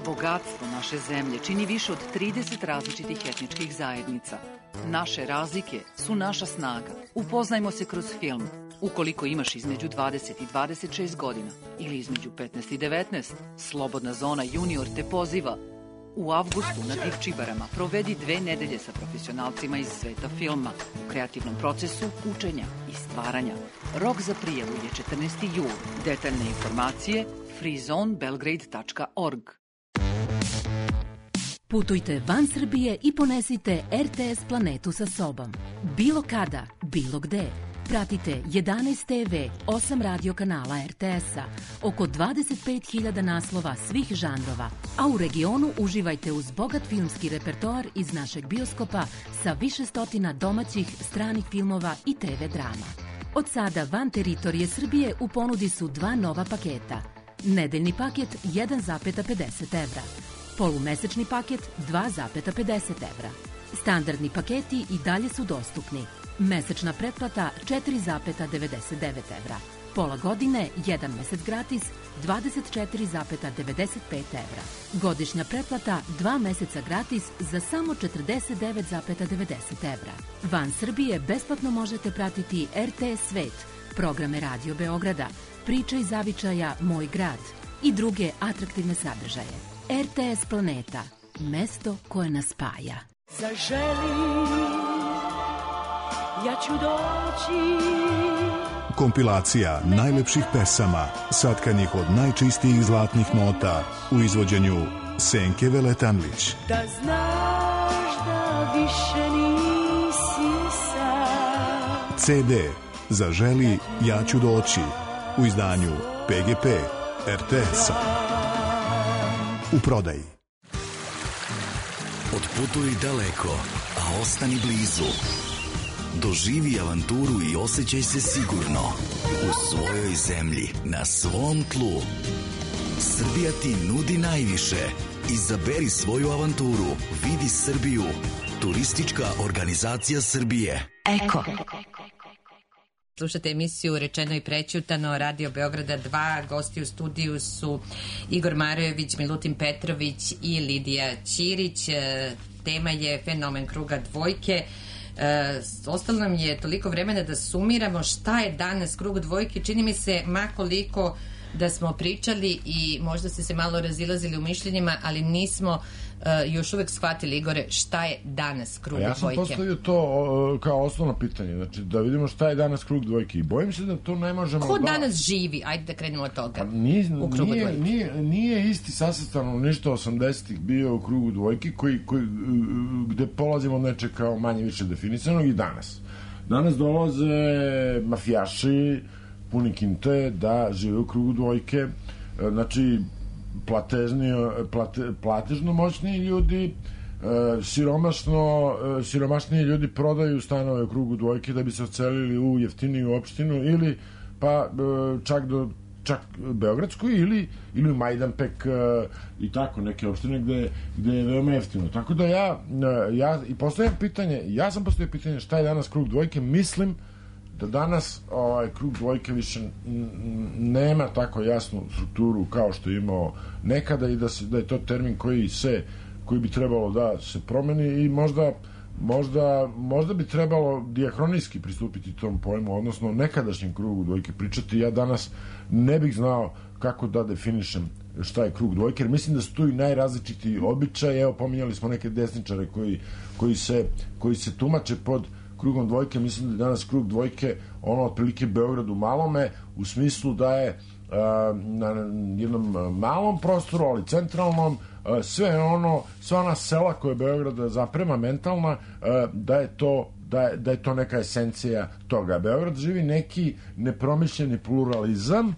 Speaker 9: Bogatstvo naše zemlje čini više od trideset različitih etničkih zajednica. Naše razlike su naša snaga. Upoznajmo se kroz film. Ukoliko imaš između dvadeset i dvadeset šest godina ili između petnaest i devetnaest, Slobodna zona junior te poziva. U avgustu na Divčibarama provedi dve nedelje sa profesionalcima iz sveta filma u kreativnom procesu učenja i stvaranja. Rok za prijavu je četrnaesti jul. Detaljne informacije freezone belgrade tačka org.
Speaker 10: Putujte van Srbije i ponesite er te es planetu sa sobom. Bilo kada, bilo gde. Pratite jedanaest te ve, osam radio kanala er te es-a, oko dvadeset pet hiljada naslova svih žanrova, a u regionu uživajte uz bogat filmski repertoar iz našeg bioskopa sa više stotina domaćih, stranih filmova i te ve drama. Od sada van teritorije Srbije u ponudi su dva nova paketa. Nedeljni paket jedan zarez pedeset evra. Polumesečni paket dva zarez pedeset evra. Standardni paketi i dalje su dostupni. Mesečna pretplata četiri zarez devedeset devet evra. Pola godine, jedan mesec gratis, dvadeset četiri zarez devedeset pet evra. Godišnja pretplata, dva meseca gratis za samo četrdeset devet zarez devedeset evra. Van Srbije besplatno možete pratiti er te es Svet, programe Radio Beograda, Priče iz zavičaja Moj grad i druge atraktivne sadržaje. er te es Planeta, mesto koje nas spaja.
Speaker 7: Zaželi, ja ću doći.
Speaker 11: Kompilacija najlepših pesama, satkanih od najčistijih zlatnih nota u izvođenju Senke Veletanlić.
Speaker 7: Da znaš da više nisi sam.
Speaker 11: ce de Zaželi, ja ću doći u izdanju pe ge pe er te es-a. U prodaji.
Speaker 12: Otputuj daleko, a ostani blizu. Doživi avanturu i osjećaj se sigurno u svojoj zemlji, na svom tlu. Srbija ti nudi najviše. Izaberi svoju avanturu. Vidi Srbiju. Turistička organizacija Srbije.
Speaker 2: Eko.
Speaker 3: Slušate emisiju Rečeno i prećutano, Radio Beograda dva. Gosti u studiju su Igor Marojević, Milutin Petrović i Lidija Ćirić. E, Tema je fenomen kruga dvojke. E, ostalo nam je toliko vremena da sumiramo šta je danas krug dvojke. Čini mi se makoliko da smo pričali i možda ste se malo razilazili u mišljenjima, ali nismo uh, još uvek shvatili, Igore, šta je danas krug
Speaker 5: Ja sam
Speaker 3: dvojke.
Speaker 5: postavio to o, kao osnovno pitanje, znači da vidimo šta je danas krug dvojke i bojim se da to ne možemo
Speaker 3: Ko
Speaker 5: da...
Speaker 3: danas živi? Ajde da krenemo od toga.
Speaker 5: Pa nije,
Speaker 3: u krugu
Speaker 5: nije,
Speaker 3: dvojke.
Speaker 5: nije, nije isti sastavno ništa osamdesetih bio u krugu dvojke koji, koji, gde polazimo od nečeg kao manje više definisanog i danas. Danas dolaze mafijaši puni kinte da žive u krugu dvojke, znači platežni, plate, platežno moćniji ljudi, siromašno, siromašniji ljudi prodaju stanove u krugu dvojke da bi se ocelili u jeftiniju opštinu ili pa čak do čak Beogradsku ili, ili u Majdanpek i tako neke opštine gde, gde je veoma jeftino. Tako da ja, ja i postavljam pitanje, ja sam postavio pitanje šta je danas krug dvojke, mislim da danas ovaj, krug dvojke više nema tako jasnu strukturu kao što je imao nekada i da, se, da je to termin koji se koji bi trebalo da se promeni i možda možda, možda bi trebalo dijahronijski pristupiti tom pojmu, odnosno nekadašnjem krugu dvojke pričati. Ja danas ne bih znao kako da definišem šta je krug dvojke, jer mislim da su tu i najrazličitiji običaj. Evo, pominjali smo neke desničare koji, koji, se, koji se tumače pod krugom dvojke. Mislim da je danas krug dvojke ono otprilike Beograd u malome, u smislu da je a, na jednom malom prostoru, ali centralnom, a, sve ono, sva ona sela koje Beograd zaprema mentalna, a, da je to Da je, da je to neka esencija toga. Beograd živi neki nepromišljeni pluralizam. Uh,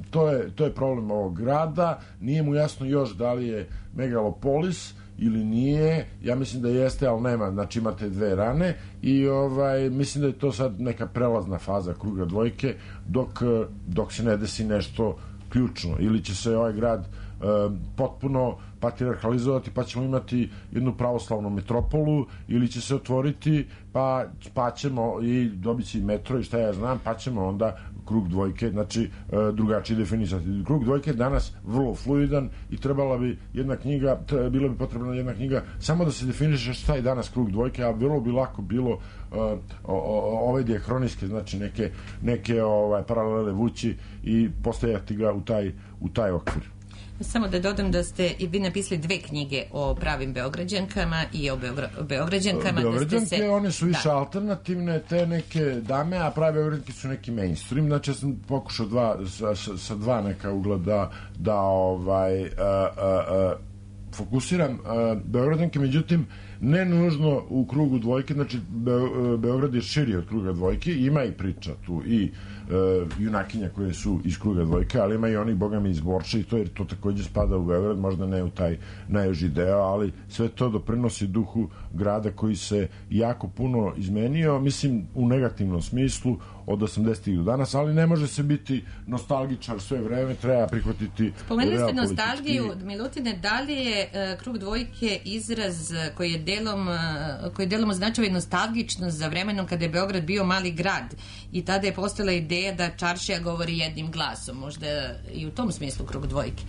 Speaker 5: to, je, to je problem ovog grada. Nije mu jasno još da li je megalopolis ili nije. Ja mislim da jeste, ali nema. Znači imate dve rane i ovaj, mislim da je to sad neka prelazna faza kruga dvojke dok, dok se ne desi nešto ključno. Ili će se ovaj grad uh, potpuno patriarhalizovati pa ćemo imati jednu pravoslavnu metropolu, ili će se otvoriti pa, pa ćemo i dobiti će i metro i šta ja znam, pa ćemo onda krug dvojke, znači drugačije definisati. Krug dvojke je danas vrlo fluidan i trebala bi jedna knjiga, bilo bi potrebna jedna knjiga samo da se definiše šta je danas krug dvojke, a vrlo bi lako bilo uh, o, o, ove dijahronijske, znači neke, neke ovaj, paralele vući i postavljati ga u taj, u taj okvir.
Speaker 3: Samo da dodam da ste i vi napisali dve knjige o pravim Beograđankama i o Beogra, Beograđankama.
Speaker 5: Beograđanke,
Speaker 3: da ste se...
Speaker 5: one su više
Speaker 3: da.
Speaker 5: alternativne, te neke dame, a prave Beograđanke su neki mainstream. Znači ja sam pokušao dva, sa, sa, sa dva neka ugla da, da ovaj, a, a, a, fokusiram a, Beograđanke, međutim ne nužno u krugu dvojke, znači Be, Beograd je širi od kruga dvojke, ima i priča tu i Uh, junakinja koje su iz kruga dvojke, ali ima i onih bogami iz Borča i to, jer to takođe spada u Beograd, možda ne u taj najjuži deo, ali sve to doprinosi duhu grada koji se jako puno izmenio, mislim u negativnom smislu od osamdesetih do danas, ali ne može se biti nostalgičar sve vreme, treba prihvatiti.
Speaker 3: Spomenuli ste nostalgiju, Milutine, da li je uh, krug dvojke izraz koji je delom, uh, koji delom označava i nostalgičnost za vremenom kada je Beograd bio mali grad i tada je postala ideja da čaršija govori jednim glasom, možda i u tom smislu krug dvojke.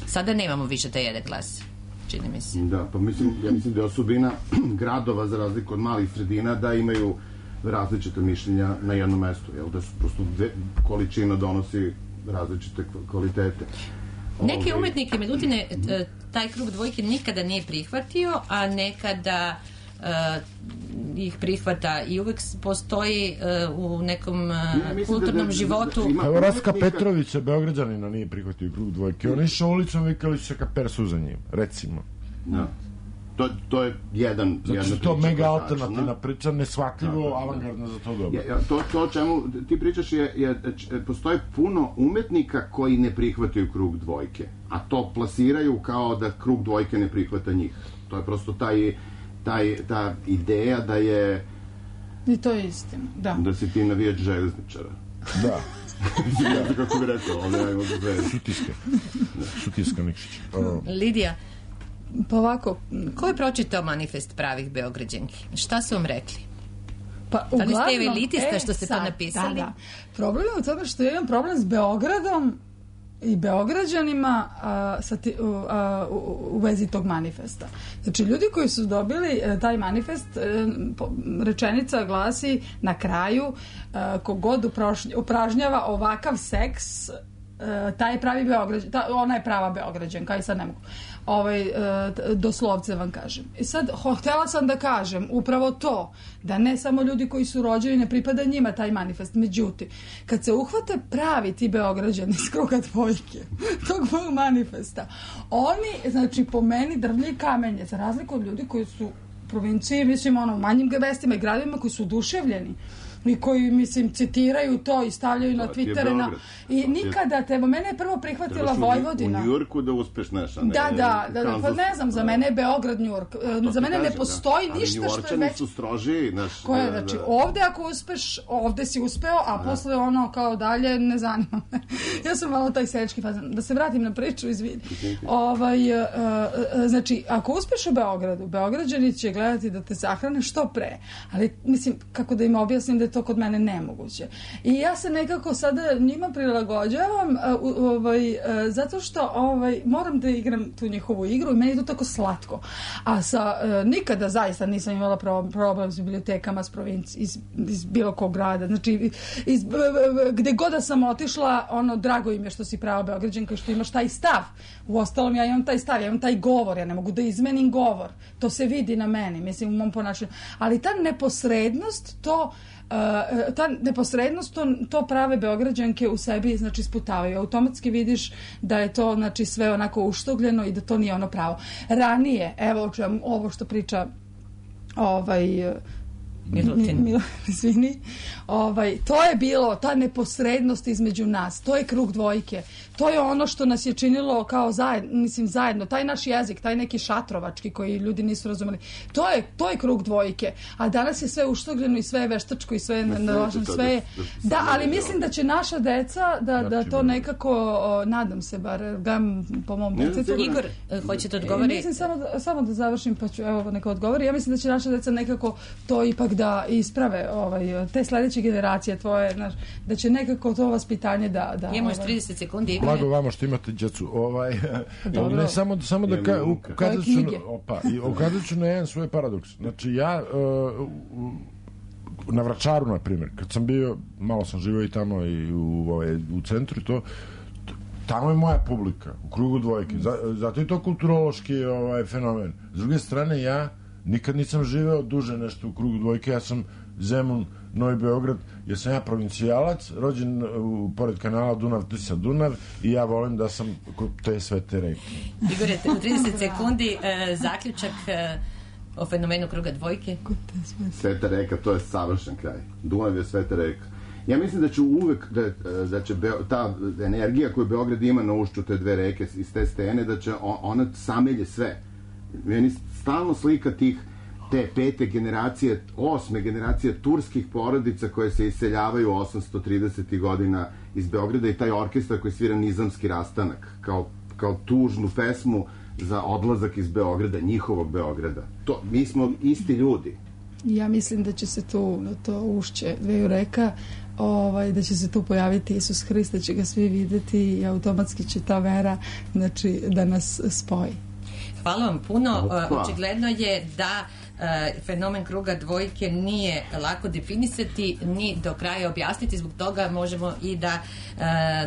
Speaker 3: Sada nemamo više taj jedan glas, čini mi se.
Speaker 4: Da, pa mislim, ja mislim da je osobina gradova za razliku od malih sredina da imaju različite mišljenja na jednom mestu, jel, da su prosto dve, količina donosi različite kvalitete.
Speaker 3: Neke umetnike, Milutine, taj krug dvojke nikada nije prihvatio, a nekada uh, ih prihvata i uvek postoji uh, u nekom uh, ja, kulturnom da, da, životu.
Speaker 5: Da, da, Evo Raska Petrovića, Beograđanina, nije prihvatio krug dvojke. Oni išao ulicom, vikali su se ka persu za njim, recimo.
Speaker 4: Da. To, to je jedan...
Speaker 5: Zato što to mega alternativna priča, neshvatljivo, da, da, da. avangardno za to dobro.
Speaker 4: Ja, to, to o čemu ti pričaš je, je, postoje puno umetnika koji ne prihvataju krug dvojke, a to plasiraju kao da krug dvojke ne prihvata njih. To je prosto taj, taj, ta ideja da je...
Speaker 6: I to je istina, da.
Speaker 4: Da si ti navijač železničara.
Speaker 5: Da.
Speaker 4: Ja sam kako bi rekao, ovdje imamo dve.
Speaker 5: Šutiska. Šutiska Nikšić.
Speaker 3: Lidija,
Speaker 6: pa ovako,
Speaker 3: ko je pročitao manifest pravih Beograđanki? Šta su vam rekli?
Speaker 6: Pa,
Speaker 3: da li ste
Speaker 6: uglavnom,
Speaker 3: elitista što ste
Speaker 6: sad,
Speaker 3: to napisali?
Speaker 6: Da, da. Problem je u tome što ja imam problem s Beogradom i Beograđanima a, sa ti, a, u, u vezi tog manifesta. Znači, ljudi koji su dobili a, taj manifest, a, po, rečenica glasi na kraju a, kogod uprošnj, upražnjava ovakav seks, a, taj je pravi Beograđan, ta, ona je prava Beograđanka i sad ne mogu. Ovaj, doslovce vam kažem. I sad, ho, htjela sam da kažem upravo to, da ne samo ljudi koji su rođeni ne pripada njima taj manifest. Međutim, kad se uhvate pravi ti Beograđani iz kruga dvojke tog mog manifesta, oni, znači, po meni drvlje i kamenje, za razliku od ljudi koji su u provinciji, mislim, ono, u manjim mestima i gradovima koji su oduševljeni i koji, mislim, citiraju to i stavljaju na Twittere na... i nikada te, mene je prvo prihvatila Vojvodina.
Speaker 4: U Njujorku da uspeš nešto, ne?
Speaker 6: Da, da, da, da, pa ne znam, za mene je Beograd Njujork. Za mene ne postoji
Speaker 4: da.
Speaker 6: ništa što je već...
Speaker 4: su stroži, znaš...
Speaker 6: Koje,
Speaker 4: da,
Speaker 6: znači,
Speaker 4: da.
Speaker 6: ovde ako uspeš, ovde si uspeo, a da. Posle ono kao dalje, ne zanima me. Ja sam malo taj seljački fazan. Da se vratim na priču, izvini. Ovaj, uh, uh, znači, ako uspeš u Beogradu, Beograđani će gledati da te sahrane što pre. Ali, mislim, kako da im objasnim da je to kod mene nemoguće. I ja se nekako sada njima prilagođavam ovaj, zato što ovaj, moram da igram tu njihovu igru i meni je to tako slatko. A sa, nikada zaista nisam imala problem s bibliotekama s provinci, iz, iz bilo kog grada. Znači, iz, gde god da sam otišla, ono, drago im je što si prava Beograđanka, što imaš taj stav. Uostalom, ja imam taj stav, ja imam taj govor, ja ne mogu da izmenim govor. To se vidi na meni, mislim, u mom ponašanju. Ali ta neposrednost, to Uh, ta neposrednost, to, to prave Beograđanke u sebi, znači, sputavaju. Automatski vidiš da je to, znači, sve onako uštogljeno i da to nije ono pravo. Ranije, evo čujem ovo što priča ovaj
Speaker 3: Milutin.
Speaker 6: Mil, izvini. Ovaj, to je bilo, ta neposrednost između nas, to je krug dvojke. To je ono što nas je činilo kao zajedno, mislim zajedno, taj naš jezik, taj neki šatrovački koji ljudi nisu razumeli. To je, to je krug dvojke. A danas je sve uštogljeno i sve je veštačko i sve je naloženo, sve je... Da, ali mislim da će naša deca da, da to nekako, o, nadam se bar, gam po mom detetu.
Speaker 3: Igor, hoćete odgovori?
Speaker 6: Mislim samo da, samo da završim, pa ću, evo, neka odgovori. Ja mislim da će naša deca nekako to ipak da isprave, ovaj, te sledeće generacije tvoje, znaš, da će nekako to vaspitanje da... da
Speaker 3: imamo još
Speaker 6: ovaj,
Speaker 3: trideset sekundi.
Speaker 5: Blago vama što imate djecu. Ovaj, ne, samo, samo da ka, ukazat ću, opa, i ukazat ću na jedan svoj paradoks. Znači, ja uh, na Vračaru, na primjer, kad sam bio, malo sam živio i tamo i u, ovaj, u centru i to, tamo je moja publika, u krugu dvojke. Zato je to kulturološki ovaj, fenomen. S druge strane, ja nikad nisam živeo duže nešto u krugu dvojke, ja sam Zemun, Novi Beograd, jer sam ja provincijalac, rođen u, pored kanala Dunav-Tisa-Dunav i ja volim da sam kod te svete reke.
Speaker 3: Igore, u trideset sekundi e, zaključak e, o fenomenu kruga dvojke.
Speaker 4: Sveta reka, to je savršen kraj. Dunav je sveta reka. Ja mislim da će uvek, da, da će Beo, ta energija koju Beograd ima na ušću te dve reke iz te stene, da će on, ona samelje sve. Meni stalno slika tih te pete generacije, osme generacije turskih porodica koje se iseljavaju osamsto tridesetih godina iz Beograda i taj orkestar koji svira Nizamski rastanak kao, kao tužnu pesmu za odlazak iz Beograda, njihovog Beograda. To, mi smo isti ljudi.
Speaker 6: Ja mislim da će se tu na to ušće dveju reka, ovaj, da će se tu pojaviti Isus Hrist, da će ga svi videti i automatski će ta vera, znači, da nas spoji.
Speaker 3: Hvala vam puno. Opa. Očigledno je da uh, fenomen kruga dvojke nije lako definisati ni do kraja objasniti, zbog toga možemo i da uh,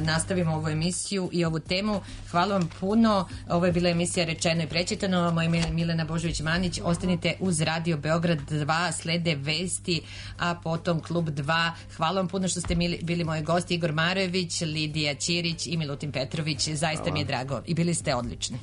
Speaker 3: nastavimo ovu emisiju i ovu temu. Hvala vam puno. Ovo je bila emisija Rečeno i prečitano. Moje ime je Milena Božović-Manić. Ostanite uz Radio Beograd dva, slede vesti, a potom Klub dva. Hvala vam puno što ste mili, bili moji gosti, Igor Marojević, Lidija Ćirić i Milutin Petrović. Zaista Hvala. Mi je drago i bili ste odlični.